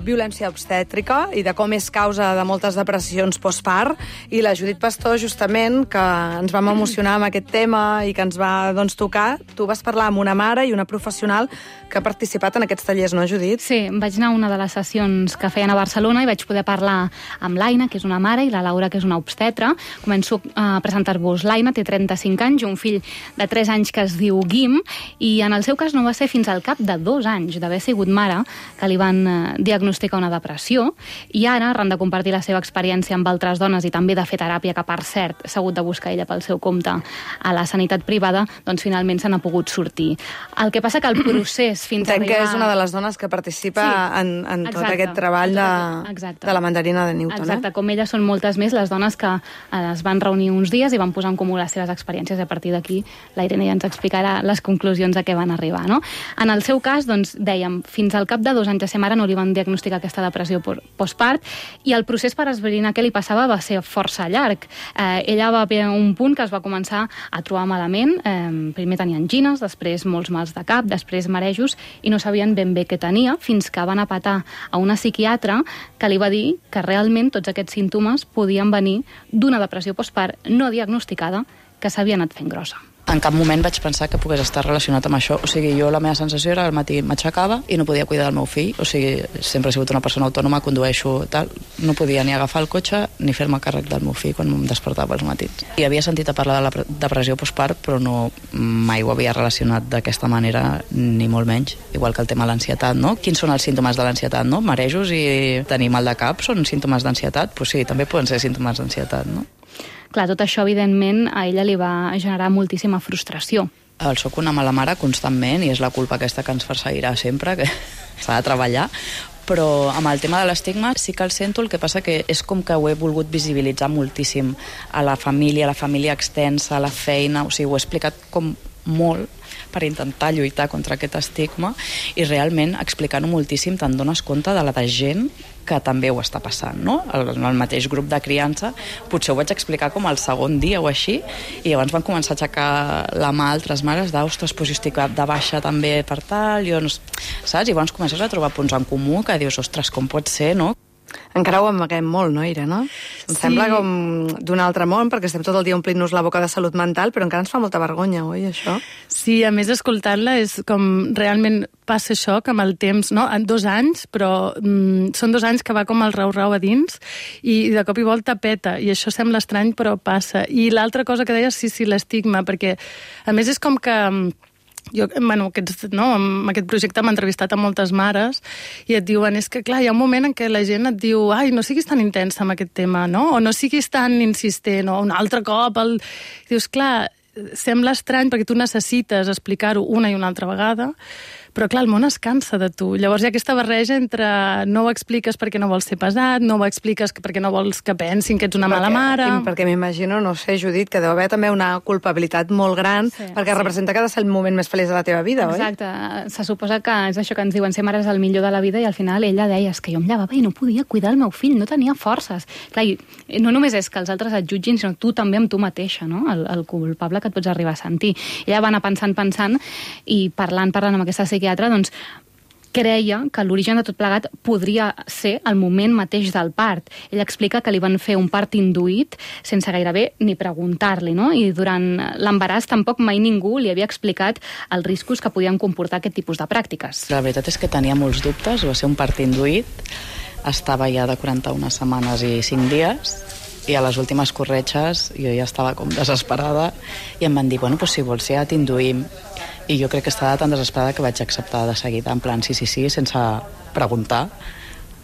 violència obstètrica i de com és causa de moltes depressions postpart, i la Judit Pastor, justament, que ens vam emocionar amb aquest tema i que ens va tocar, tu vas parlar amb una mare i una professional que ha participat en aquests tallers, no, Judit? Sí, vaig anar a una de les sessions que feien a Barcelona i vaig poder parlar amb l'Aina, que és una mare, i la Laura, que és una obstetra. Començo a presentar-vos. L'Aina té 35 anys i un fill de 3 anys que es diu Guim, i en el seu cas no va ser fins al cap de 2 anys d'haver sigut mare que li van diagnosticar una depressió, i ara, arran de compartir la seva experiència amb altres dones i també de fer teràpia, que per cert s'ha hagut de buscar ella pel seu compte a la sanitat privada, doncs finalment se n'ha pogut sortir. El que passa que el procés fins a arribar... que és una de les dones que participa en tot aquest treball de la mandarina de Newton. Exacte, com ella són moltes més les dones que es van reunir uns dies i van posar en comú les seves experiències, i a partir d'aquí la Irene ja ens explicarà les conclusions a què van arribar, no? En el seu cas, doncs, dèiem, fins al cap de 2 anys de ser mare no li van diagnosticar aquesta depressió postpart, i el procés per esbrinar què li passava va ser força llarg. Ella va haver un punt que es va començar a trobar malament, primer tenia angines, després molts mals de cap, després marejos, i no sabien ben bé què tenia, fins que van a patar a una psiquiatra que li va dir que realment tots aquests símptomes podien venir d'una depressió postpart no diagnosticada que s'havia anat fent grossa. En cap moment vaig pensar que pogués estar relacionat amb això. O sigui, jo la meva sensació era al matí m'aixecava i no podia cuidar del meu fill. O sigui, sempre he sigut una persona autònoma, condueixo tal. No podia ni agafar el cotxe ni fer-me càrrec del meu fill quan em despertava als matins. I havia sentit a parlar de la depressió postpart, però mai ho havia relacionat d'aquesta manera, ni molt menys. Igual que el tema de l'ansietat, no? Quins són els símptomes de l'ansietat, no? Marejos i tenir mal de cap són símptomes d'ansietat? Pues sí, també poden ser símptomes d'ansietat, no? Clar, tot això, evidentment, a ella li va generar moltíssima frustració. Soc una mala mare constantment i és la culpa aquesta que ens perseguirà sempre, que s'ha de treballar, però amb el tema de l'estigma sí que el sento, el que passa que és com que ho he volgut visibilitzar moltíssim a la família extensa, a la feina, o sigui, ho he explicat com molt per intentar lluitar contra aquest estigma, i realment explicant-ho moltíssim te'n dones compte de la de gent que també ho està passant, no? En el mateix grup de criança potser ho vaig explicar com el segon dia o així, i llavors van començar a aixecar la mà altres mares ostres, jo estic de baixa també per tal, saps? I llavors comences a trobar punts en comú que dius, ostres, com pot ser, no? Encara ho amaguem molt, no, Ira, no? Em sembla com d'un altre món, perquè estem tot el dia omplint-nos la boca de salut mental, però encara ens fa molta vergonya, oi, això? Sí, a més, escoltant-la, és com realment passa això, que amb el temps, no? En 2 anys, però són 2 anys que va com el rau-rau a dins, i de cop i volta peta, i això sembla estrany, però passa. I l'altra cosa que deies, sí, l'estigma, perquè, a més, és com que... Jo, amb aquest projecte m'he entrevistat a moltes mares i et diuen, és que clar, hi ha un moment en què la gent et diu, ai, no siguis tan intensa amb aquest tema, no? O no siguis tan insistent, o un altre cop dius, clar, sembla estrany perquè tu necessites explicar-ho una i una altra vegada, però clar, el món es cansa de tu. Llavors hi ha aquesta barreja entre no ho expliques perquè no vols ser pesat, no ho expliques perquè no vols que pensin que ets una mala mare... Perquè m'imagino, no sé, Judit, que deu haver també una culpabilitat molt gran, perquè representa que ha de ser el moment més feliç de la teva vida, oi? Exacte. Se suposa que és això que ens diuen, ser mare és el millor de la vida, i al final ella deia, és que jo em llevava i no podia cuidar el meu fill, no tenia forces. Clar, i no només és que els altres et jutgin, sinó tu també amb tu mateixa, no? El culpable que et pots arribar a sentir. Ella va anar pensant, i parlant amb aquesta psiquiatra, doncs creia que l'origen de tot plegat podria ser el moment mateix del part. Ella explica que li van fer un part induït sense gairebé ni preguntar-li, no? I durant l'embaràs tampoc mai ningú li havia explicat els riscos que podien comportar aquest tipus de pràctiques. La veritat és que tenia molts dubtes, va ser un part induït, estava ja de 41 setmanes i 5 dies, i a les últimes corretges jo ja estava com desesperada i em van dir, bueno, doncs si vols ja t'induïm. I jo crec que estava tan desesperada que vaig acceptar de seguida, en plan sí, sense preguntar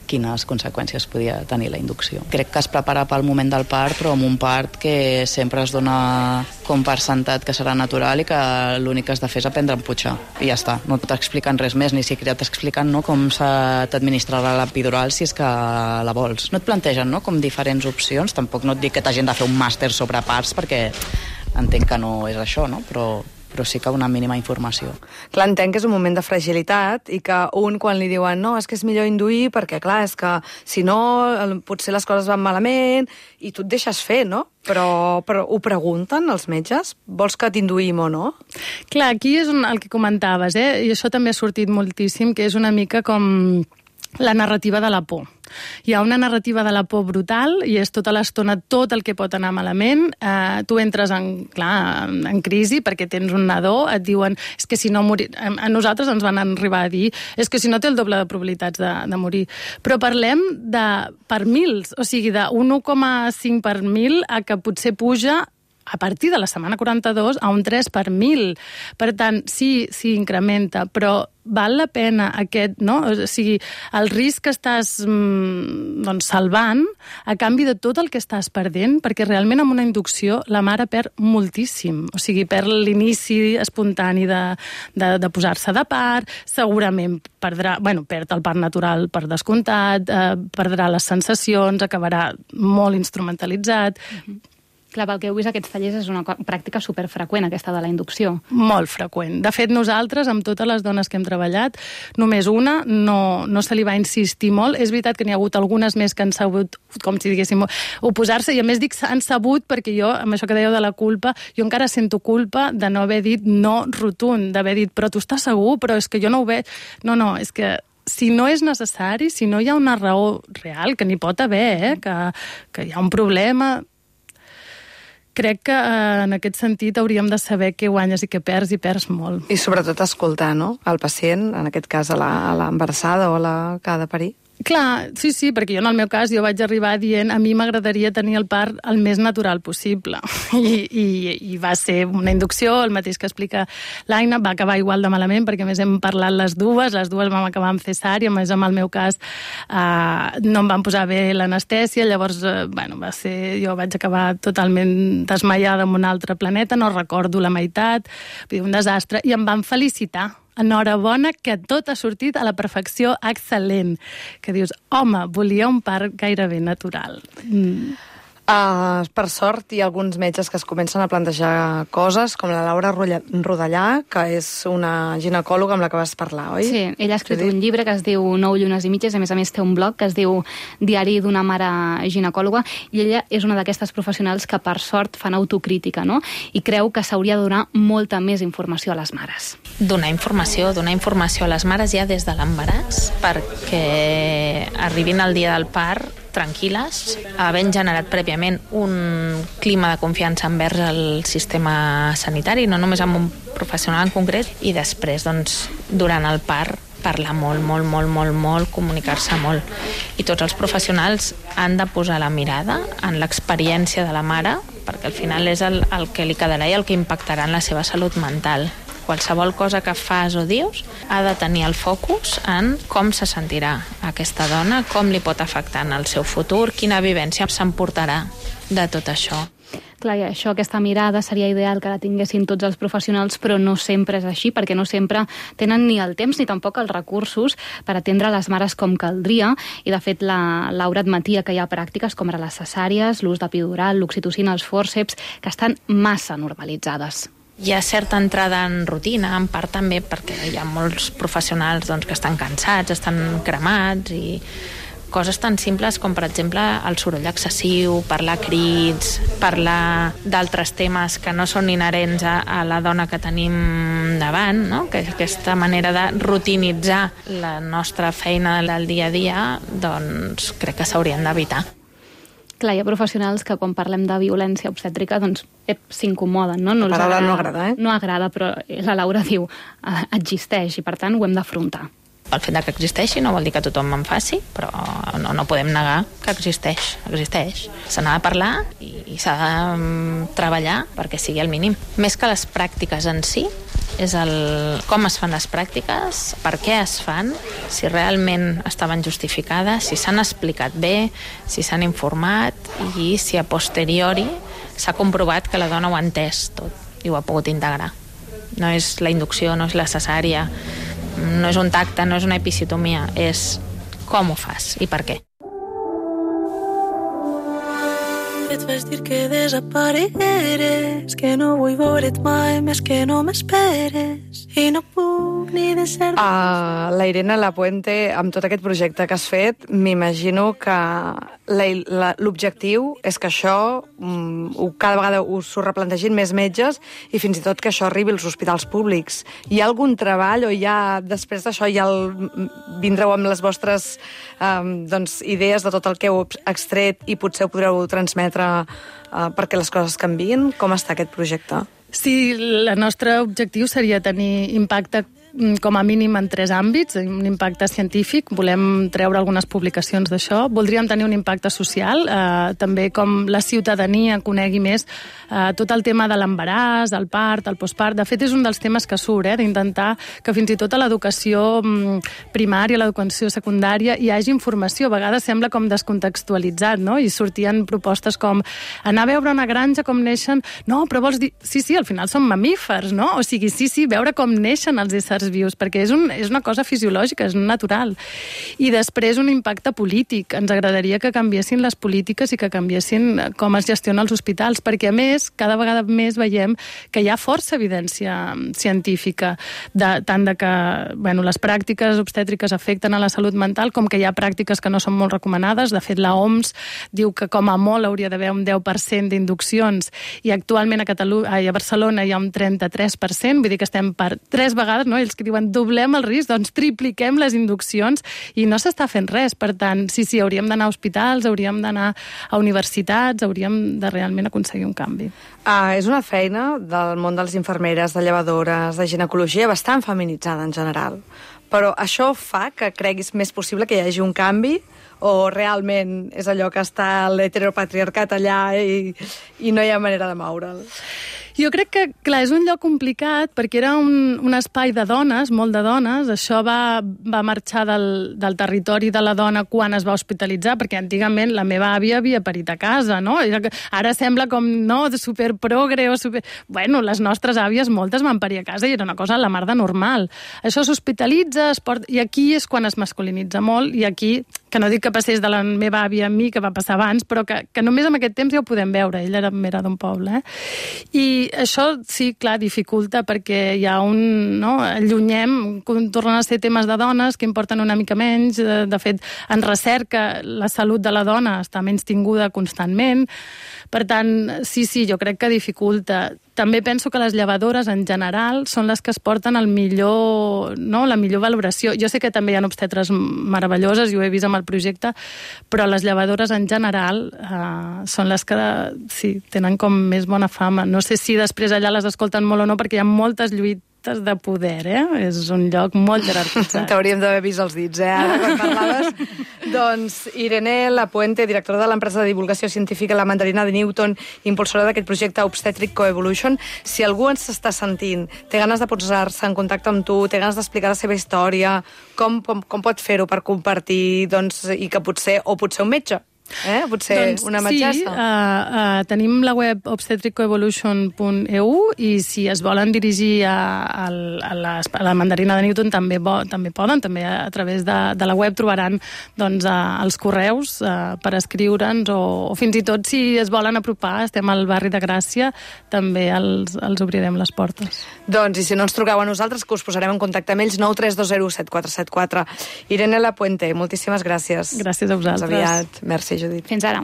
quines conseqüències podia tenir la inducció. Crec que es prepara pel moment del part, però amb un part que sempre es dona com per sentat que serà natural i que l'únic que has de fer és aprendre a empujar. I ja està, no t'expliquen res més, ni siquiera t'expliquen com t'administrarà l'epidural si és que la vols. No et plantegen com diferents opcions, tampoc no et dic que t'hagin de fer un màster sobre parts, perquè entenc que no és això, no? Però sí que una mínima informació. Clar, entenc que és un moment de fragilitat i que quan li diuen no, és que és millor induir perquè, clar, és que si no potser les coses van malament i tu et deixes fer, no? Però ho pregunten els metges? Vols que t'induïm o no? Clar, aquí és el que comentaves, i això també ha sortit moltíssim, que és una mica com la narrativa de la por. Hi ha una narrativa de la por brutal i és tota l'estona tot el que pot anar malament. Tu entres en crisi perquè tens un nadó, et diuen és que si no morir... A nosaltres ens van arribar a dir és que si no té el doble de probabilitats de morir. Però parlem per mils, o sigui, de 1,5 per mil a que potser puja a partir de la setmana 42 a un 3 per 1.000. Per tant, sí, incrementa, però val la pena aquest, no? O sigui, el risc que estàs salvant a canvi de tot el que estàs perdent, perquè realment amb una inducció la mare perd moltíssim. O sigui, perd l'inici espontani de posar-se de part, segurament perd el part natural per descomptat, perdrà les sensacions, acabarà molt instrumentalitzat. Clar, pel que heu vist, aquests tallers és una pràctica superfreqüent, aquesta de la inducció. Molt freqüent. De fet, nosaltres, amb totes les dones que hem treballat, només una no se li va insistir molt. És veritat que n'hi ha hagut algunes més que han sabut, com si diguéssim, oposar-se, i a més dic han sabut perquè jo, amb això que dèieu de la culpa, jo encara sento culpa de no haver dit no rotund, d'haver dit, però tu estàs segur? Però és que jo no ho veig. No, és que si no és necessari, si no hi ha una raó real, que n'hi pot haver, que hi ha un problema... Crec que en aquest sentit hauríem de saber què guanyes i què perds, i perds molt. I sobretot escoltar, no?, el pacient, en aquest cas a l'embarassada o a la que ha de parir. Clar, sí, perquè jo en el meu cas vaig arribar dient a mi m'agradaria tenir el part el més natural possible. I va ser una inducció, el mateix que explica l'Aina, va acabar igual de malament, perquè a més hem parlat les dues vam acabar amb cesària, a més en el meu cas no em van posar bé l'anestèsia, llavors va ser, jo vaig acabar totalment desmaiada en un altre planeta, no recordo la meitat, un desastre, i em van felicitar. Enhorabona, que tot ha sortit a la perfecció, excel·lent. Que dius, home, volia un part gairebé natural. Per sort, hi ha alguns metges que es comencen a plantejar coses, com la Laura Rodellà, que és una ginecòloga amb la que vas parlar, oi? Sí, ella ha escrit un llibre que es diu 9 llunes i mitges, a més té un blog que es diu Diari d'una mare ginecòloga, i ella és una d'aquestes professionals que per sort fan autocrítica, no? I creu que s'hauria de donar molta més informació a les mares. Donar informació a les mares ja des de l'embaràs, perquè arribin al dia del part tranquil·les, havent generat prèviament un clima de confiança envers el sistema sanitari, no només amb un professional en concret, i després, durant el part, parlar molt, comunicar-se molt. I tots els professionals han de posar la mirada en l'experiència de la mare, perquè al final és el que li quedarà i el que impactarà en la seva salut mental. Qualsevol cosa que fas o dius ha de tenir el focus en com se sentirà aquesta dona, com li pot afectar en el seu futur, quina vivència s'emportarà de tot això. Clar, i això, aquesta mirada seria ideal que la tinguessin tots els professionals, però no sempre és així, perquè no sempre tenen ni el temps ni tampoc els recursos per atendre les mares com caldria, i de fet la Laura admetia que hi ha pràctiques com ara les cesàries, l'ús d'epidural, l'oxitocina, els fòrceps, que estan massa normalitzades. Hi ha certa entrada en rutina, en part també perquè hi ha molts professionals doncs, que estan cansats, estan cremats, i coses tan simples com, per exemple, el soroll excessiu, parlar a crits, parlar d'altres temes que no són inherents a la dona que tenim davant, no? Que aquesta manera de rutinitzar la nostra feina del dia a dia, doncs crec que s'haurien d'evitar. Clar, hi ha professionals que quan parlem de violència obstètrica doncs s'incomoden, no? La paraula no agrada, No agrada, però la Laura diu existeix i per tant ho hem d'afrontar. El fet que existeixi no vol dir que tothom en faci, però no podem negar que existeix. Se n'ha de parlar i s'ha de treballar perquè sigui el mínim. Més que les pràctiques en si, és com es fan les pràctiques, per què es fan, si realment estaven justificades, si s'han explicat bé, si s'han informat i si a posteriori s'ha comprovat que la dona ho ha entès tot i ho ha pogut integrar. No és la inducció, no és la cesària, no és un tacte, no és una episiotomia, és com ho fas i per què. Et vaig dir que desaparegueres, que no vull veure't mai més, que no m'esperes i no puc ni deixar... La Irene Lapuente, amb tot aquest projecte que has fet, m'imagino que l'objectiu és que això cada vegada s'ho replantegin més metges i fins i tot que això arribi als hospitals públics. Hi ha algun treball o després d'això vindreu amb les vostres idees de tot el que heu extret i potser ho podreu transmetre perquè les coses canviïn? Com està aquest projecte? Sí, el nostre objectiu seria tenir impacte com a mínim en 3 àmbits, un impacte científic, volem treure algunes publicacions d'això, voldríem tenir un impacte social, també com la ciutadania conegui més tot el tema de l'embaràs, el part, el postpart. De fet, és un dels temes que surt, d'intentar que fins i tot a l'educació primària, a l'educació secundària, hi hagi informació. A vegades sembla com descontextualitzat, no? I sortien propostes com anar a veure una granja com neixen... No, però vols dir... Sí, al final són mamífers, no? O sigui, sí, veure com neixen els éssers vius, perquè és una cosa fisiològica, és natural. I després un impacte polític. Ens agradaria que canviessin les polítiques i que canviessin com es gestiona els hospitals, perquè a més, cada vegada més veiem que hi ha força evidència científica, tant de que les pràctiques obstètriques afecten a la salut mental, com que hi ha pràctiques que no són molt recomanades. De fet, la OMS diu que com a molt hauria d'haver un 10% d'induccions i actualment a Barcelona hi ha un 33%, vull dir que estem per 3 vegades, no? Ells que diuen doblem el risc, doncs tripliquem les induccions i no s'està fent res. Per tant, sí, hauríem d'anar a hospitals, hauríem d'anar a universitats, hauríem de realment aconseguir un canvi. És una feina del món de les infermeres, de llevadores, de ginecologia bastant feminitzada en general. Però això fa que creguis més possible que hi hagi un canvi o realment és allò que està l'heteropatriarcat allà i no hi ha manera de moure'l? Jo crec que, clar, és un lloc complicat perquè era un espai de dones, molt de dones. Això va marxar del territori de la dona quan es va hospitalitzar, perquè antigament la meva àvia havia parit a casa, no? Ara sembla com, no, superprogre o super... Bueno, les nostres àvies, moltes van parir a casa i era una cosa a la mar de normal. Això s'hospitalitza, i aquí és quan es masculinitza molt, i aquí, que no dic que passés de la meva àvia a mi, que va passar abans, però que només en aquest temps ja ho podem veure. Ella era d'un poble, I això, sí, clar, dificulta perquè hi ha allunyem, tornen a ser temes de dones que importen una mica menys. De fet, en recerca, la salut de la dona està menys tinguda constantment. Per tant, sí, jo crec que dificulta. També penso que les llevadores, en general, són les que es porten la millor valoració. Jo sé que també hi ha obstetres meravelloses, i ho he vist amb el projecte, però les llevadores, en general, són les que, sí, tenen com més bona fama. No sé si després allà les escolten molt o no, perquè hi ha moltes lluites de poder, És un lloc molt jerarquitzat. T'hauríem d'haver vist els dits, ara, quan parlaves. Doncs Irene Lapuente, directora de l'empresa de divulgació científica La Mandarina de Newton, impulsora d'aquest projecte Obstetric Coevolution. Si algú ens està sentint, té ganes de posar-se en contacte amb tu, té ganes d'explicar la seva història, com pot fer-ho per compartir, i que potser un metge Potser una metgessa. Sí, tenim la web obstetricoevolution.eu i si es volen dirigir a la mandarina de Newton també poden, també a través de la web trobaran els correus per escriure'ns o fins i tot si es volen apropar, estem al barri de Gràcia, també els obrirem les portes. Doncs, i si no ens truqueu a nosaltres, que us posarem en contacte amb ells, 932074474. Irene Lapuente, moltíssimes gràcies. Gràcies a vosaltres. Fins aviat. Merci, Judit. Fins ara.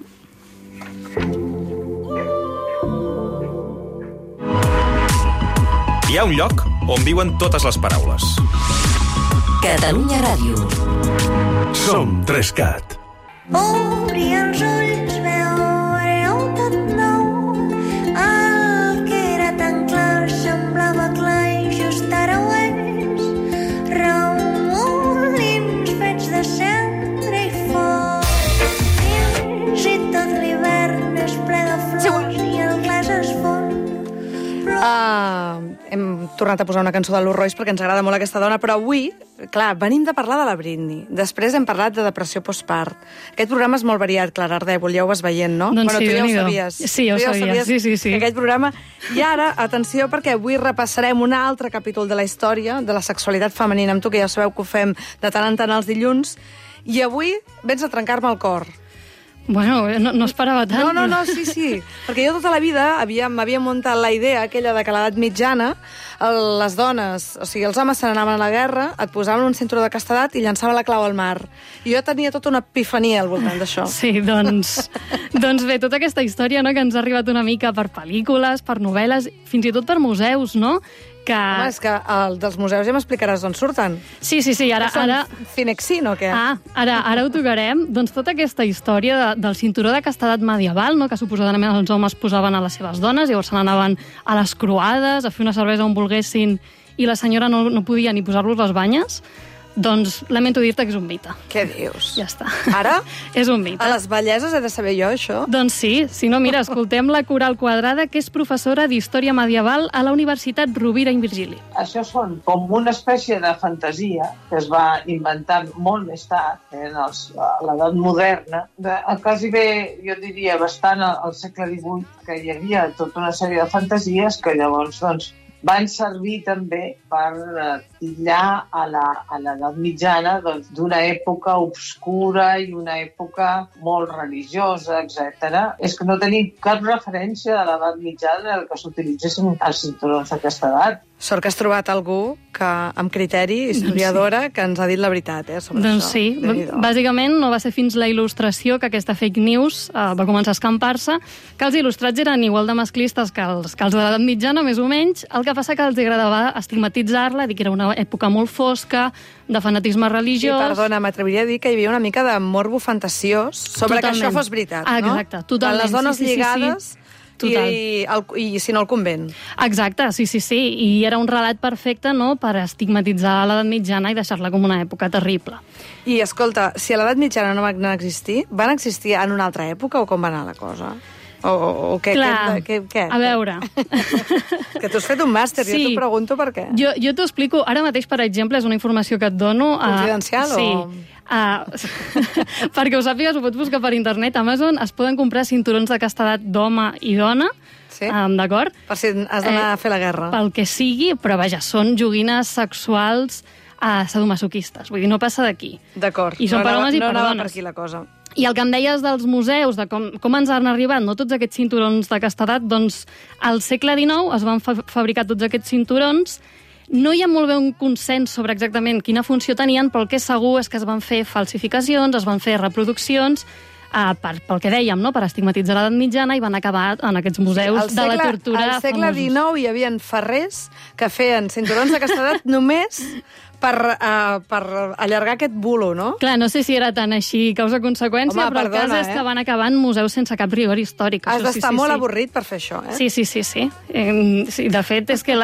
Hi ha un lloc on viuen totes les paraules. Catalunya Ràdio. Som 3CAT. Obri els ulls, veureu tot nou. El que era tan clar semblava clar i just ara ho és. Remolins fets de cendra i foc. Fins i tot l'hivern és ple de flors i el glaç es fon. Hem tornat a posar una cançó de Lou Royce perquè ens agrada molt aquesta dona, però avui, clar, venim de parlar de la Britney. Després hem parlat de depressió postpart. Aquest programa és molt variat, Clara Ardèvol, ja ho vas veient, no? Doncs sí, tu ja ho sabies. Sí, ja ho sabia, sí. Aquest programa... I ara, atenció, perquè avui repassarem un altre capítol de la història de la sexualitat femenina amb tu, que ja sabeu que ho fem de tant en tant els dilluns, i avui vens a trencar-me el cor. Bueno, no esperava tant. No, sí. Perquè jo tota la vida m'havia muntat la idea aquella de que a l'edat mitjana les dones, o sigui, els homes se n'anaven a la guerra, et posaven un cinturó de castedat i llançaven la clau al mar. I jo tenia tota una epifania al voltant d'això. Sí, doncs bé, tota aquesta història, no, que ens ha arribat una mica per pel·lícules, per novel·les, fins i tot per museus, no? Home, és que dels museus ja m'explicaràs d'on surten. Sí, ara... Cinexin o què? Ara ho tocarem. Doncs tota aquesta història del cinturó de castedat medieval, no, que suposadament els homes posaven a les seves dones, llavors se n'anaven a les croades, a fer una cervesa on volguessin, i la senyora no podia ni posar-los les banyes, doncs lamento dir-te que és un mite. Què dius? Ja està. Ara? És un mite. A les belleses he de saber jo, això? Doncs sí. Si no, mira, escoltem la Coral Quadrada, que és professora d'Història Medieval a la Universitat Rovira i Virgili. Això són com una espècie de fantasia que es va inventar molt més tard, a l'edat moderna, quasi bé, jo diria, bastant al segle XVIII, que hi havia tota una sèrie de fantasies que llavors, doncs, van servir també per titllar a l'edat mitjana d'una època obscura i una època molt religiosa, etc. És que no tenim cap referència de l'edat mitjana en què s'utilitzessin els cinturons d'aquesta edat. Sort que has trobat algú que, amb criteri, historiadora, que ens ha dit la veritat, sobre doncs això. Doncs sí, bàsicament no va ser fins la il·lustració que aquesta fake news va començar a escampar-se, que els il·lustrats eren igual de masclistes que els de l'edat mitjana, més o menys, el que passa que els agradava estigmatitzar-la, dir que era una època molt fosca, de fanatisme religiós... Sí, perdona, m'atreviria a dir que hi havia una mica de morbo fantasiós sobre que això fos veritat, no? Exacte, totalment. Les dones lligades... I si no, el convent. Exacte, sí. I era un relat perfecte, no?, per estigmatitzar l'edat mitjana i deixar-la com una època terrible. I, escolta, si a l'edat mitjana no van existir, van existir en una altra època o com va anar la cosa? O què? Clar, què? A veure... Que tu has fet un màster, sí. Jo t'ho pregunto per què. Jo t'ho explico. Ara mateix, per exemple, és una informació que et dono... Confidencial sí. Perquè ho sàpigues, ho pots buscar per internet. A Amazon es poden comprar cinturons de castedat d'home i dona, sí? D'acord? Per si has d'anar a fer la guerra. Pel que sigui, però vaja, són joguines sexuals sadomasoquistes. Vull dir, no passa d'aquí. D'acord. I són per homes i per dones. No anava per aquí la cosa. I el que em deies dels museus, de com ens han arribat, no, tots aquests cinturons de castedat, doncs al segle XIX es van fabricar tots aquests cinturons. No hi ha molt bé un consens sobre exactament quina funció tenien, però el que és segur és que es van fer falsificacions, es van fer reproduccions, pel que dèiem, no?, per estigmatitzar l'edat mitjana, i van acabar en aquests museus de la tortura famosos. Al segle XIX hi havia ferrers que feien cinturons de castedat només per allargar aquest bulo, no? Clar, no sé si era tan així causa-conseqüència, però el cas és que van acabar en museus sense cap rigor històric. Has d'estar molt avorrit per fer això, eh? Sí. Sí, de fet, és que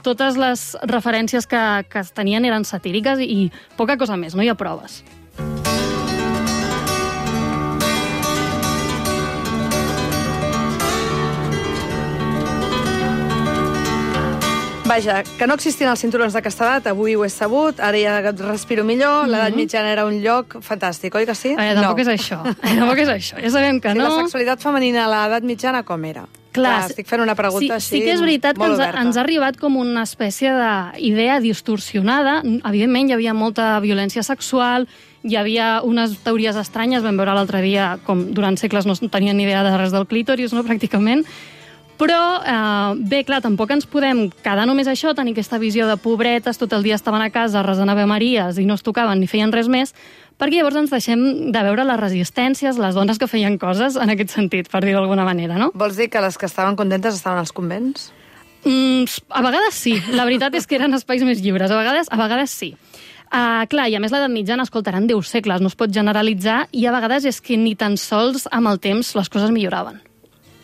totes les referències que es tenien eren satíriques i poca cosa més, no hi ha proves. Vaja, que no existien els cinturons d'aquesta edat, avui ho he sabut, ara ja respiro millor, l'edat mitjana era un lloc fantàstic, oi que sí? Tampoc és això, tampoc és això. Ja sabem que no. La sexualitat femenina a l'edat mitjana com era? Clar, estic fent una pregunta així sí que és veritat que ens ha arribat com una espècie d'idea distorsionada. Evidentment, hi havia molta violència sexual, hi havia unes teories estranyes, vam veure l'altre dia com durant segles no tenien ni idea de res del clítoris, no, pràcticament. Però, bé, clar, tampoc ens podem quedar només això, tenir aquesta visió de pobretes, tot el dia estaven a casa resant Ave Maries i no es tocaven ni feien res més, perquè llavors ens deixem de veure les resistències, les dones que feien coses en aquest sentit, per dir-ho d'alguna manera, no? Vols dir que les que estaven contentes estaven als convents? A vegades sí. La veritat és que eren espais més lliures. A vegades sí. Clar, i a més l'edat mitjana, escoltaran 10 segles, no es pot generalitzar, i a vegades és que ni tan sols amb el temps les coses milloraven.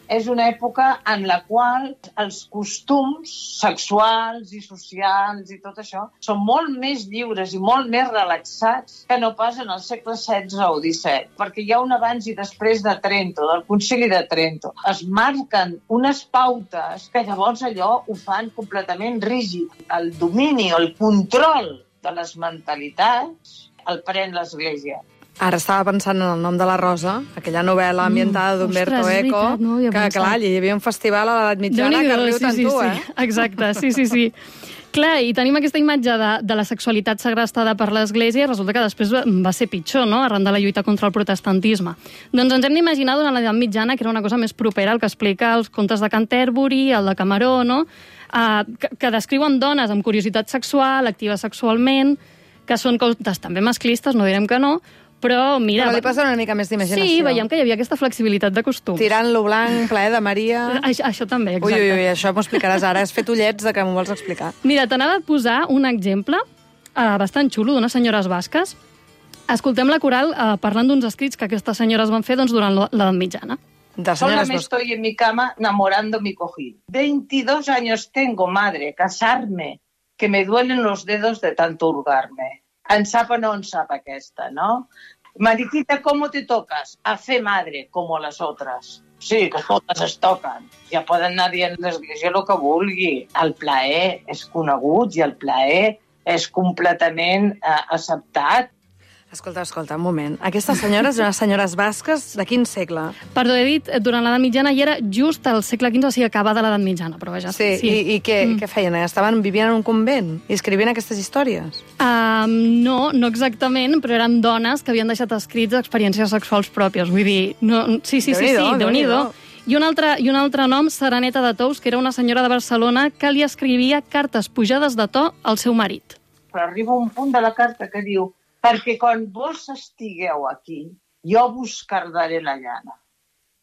És una època en la qual els costums sexuals i socials i tot això són molt més lliures i molt més relaxats que no pas en el segle XVI o XVII, perquè hi ha un abans i després de Trento, del Concili de Trento. Es marquen unes pautes que llavors allò ho fan completament rígid. El domini, el control de les mentalitats el pren l'Església. Ara estava pensant en El nom de la Rosa, aquella novel·la ambientada d'Umberto Eco, que, clar, hi havia un festival a l'edat mitjana que riu tant tu, eh? Exacte, sí. Clar, i tenim aquesta imatge de la sexualitat segrestada per l'Església i resulta que després va ser pitjor, no?, arran de la lluita contra el protestantisme. Doncs ens hem d'imaginar durant l'edat mitjana que era una cosa més propera al que explica els contes de Canterbury, el de Cameró, no?, que descriuen dones amb curiositat sexual, actives sexualment, que són contes també masclistes, no direm que no, però mira... Però li posen una mica més d'imaginació. Sí, veiem que hi havia aquesta flexibilitat de costums. Tirant-lo blanc, ple de Maria... Això també, exacte. Ui, això m'ho explicaràs ara. Has fet ullets de que m'ho vols explicar. Mira, t'anava a posar un exemple bastant xulo d'unes senyores basques. Escoltem la coral parlant d'uns escrits que aquestes senyores van fer durant l'edat mitjana. Sola me estoy en mi cama enamorando mi cojín. 22 años tengo, madre, casarme, que me duelen los dedos de tanto hurgarme. En sap o no en sap aquesta, ¿no? Mariquita, ¿cómo te tocas? A fe madre, como las otras. Sí, que totes es toquen. Ja poden anar dient l'església el que vulgui. El plaer és conegut i el plaer és completament acceptat. Escolta, un moment. Aquestes senyores eren senyores basques de quin segle? Perdó, he dit, durant l'edat mitjana i era just al segle XV, o sigui, acabada l'edat mitjana, però vaja. Sí. I què feien? Vivien en un convent i escrivien aquestes històries? No exactament, però eren dones que havien deixat escrits experiències sexuals pròpies. Vull dir, sí, Déu-n'hi-do. I un altre nom, Sereneta de Tous, que era una senyora de Barcelona que li escrivia cartes pujades de to al seu marit. Però arriba un punt de la carta que diu: perquè quan vos estigueu aquí, jo vos cardaré la llana.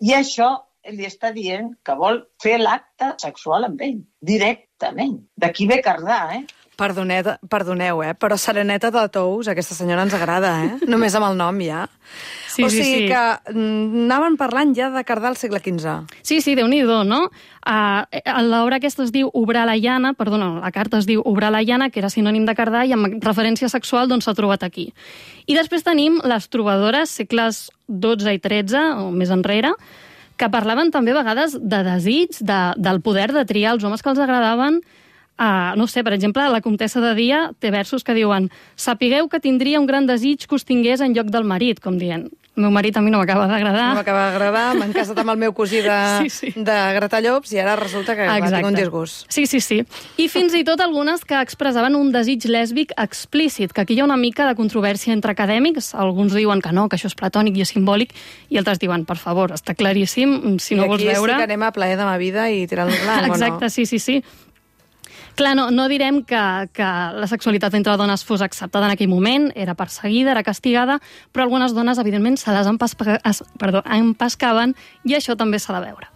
I això li està dient que vol fer l'acte sexual amb ell, directament. D'aquí ve cardar, Perdoneu, però Sereneta de Tous, aquesta senyora ens agrada, Només amb el nom, ja. Sí, o sigui que anaven parlant ja de cardar al segle XV. Sí, Déu-n'hi-do, no? L'obra aquesta es diu Obrar la llana, la carta es diu Obrar la llana, que era sinònim de cardar, i amb referència sexual doncs s'ha trobat aquí. I després tenim les trobadores, segles XII i XIII, o més enrere, que parlaven també a vegades de desig, del poder de triar els homes que els agradaven. No sé, per exemple, la comtessa de Dia té versos que diuen: sapigueu que tindria un gran desig que us tingués en lloc del marit, com dient, el meu marit a mi no m'acaba d'agradar. M'han casat amb el meu cosí de Gratallops i ara resulta que tinc un disgust. Sí. I fins i tot algunes que expressaven un desig lèsbic explícit, que aquí hi ha una mica de controvèrsia entre acadèmics. Alguns diuen que no, que això és platònic i és simbòlic, i altres diuen, per favor, està claríssim, si no vols veure... I aquí sí que anem a plaer de ma vida i tirant-lo blanc, o no? Exacte, sí. Clar, no direm que la sexualitat entre dones fos acceptada en aquell moment, era perseguida, era castigada, però algunes dones, evidentment, se les empescaven, i això també s'ha de veure.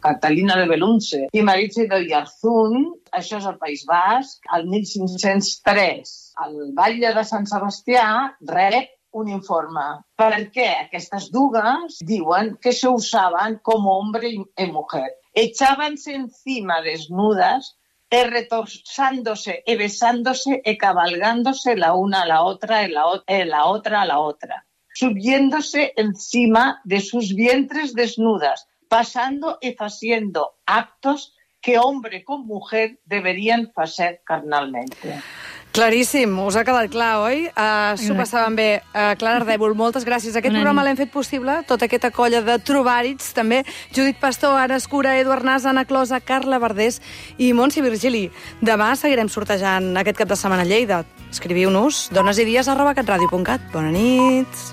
Catalina de Belunce i Maritza d'Oyarzún, això és el País Basc, el 1503. El batlle de Sant Sebastià rep un informe. Per què aquestes dues diuen que se usaban como hombre y mujer. Echábanse encima desnudas, retorzándose y besándose y cabalgándose la una a la otra y la otra a la otra, subiéndose encima de sus vientres desnudas, pasando y haciendo actos que hombre con mujer deberían hacer carnalmente. Claríssim, us ha quedat clar, oi? S'ho passaven bé. Clara Ardèvol, moltes gràcies. Aquest programa l'hem fet possible, tota aquesta colla de trobàrits, també Judit Pastor, Anna Escura, Eduard Nas, Anna Closa, Carla Verdés i Montse Virgili. Demà seguirem sortejant aquest cap de setmana a Lleida. Escriviu-nos donesidies@catradio.cat. Bona nit.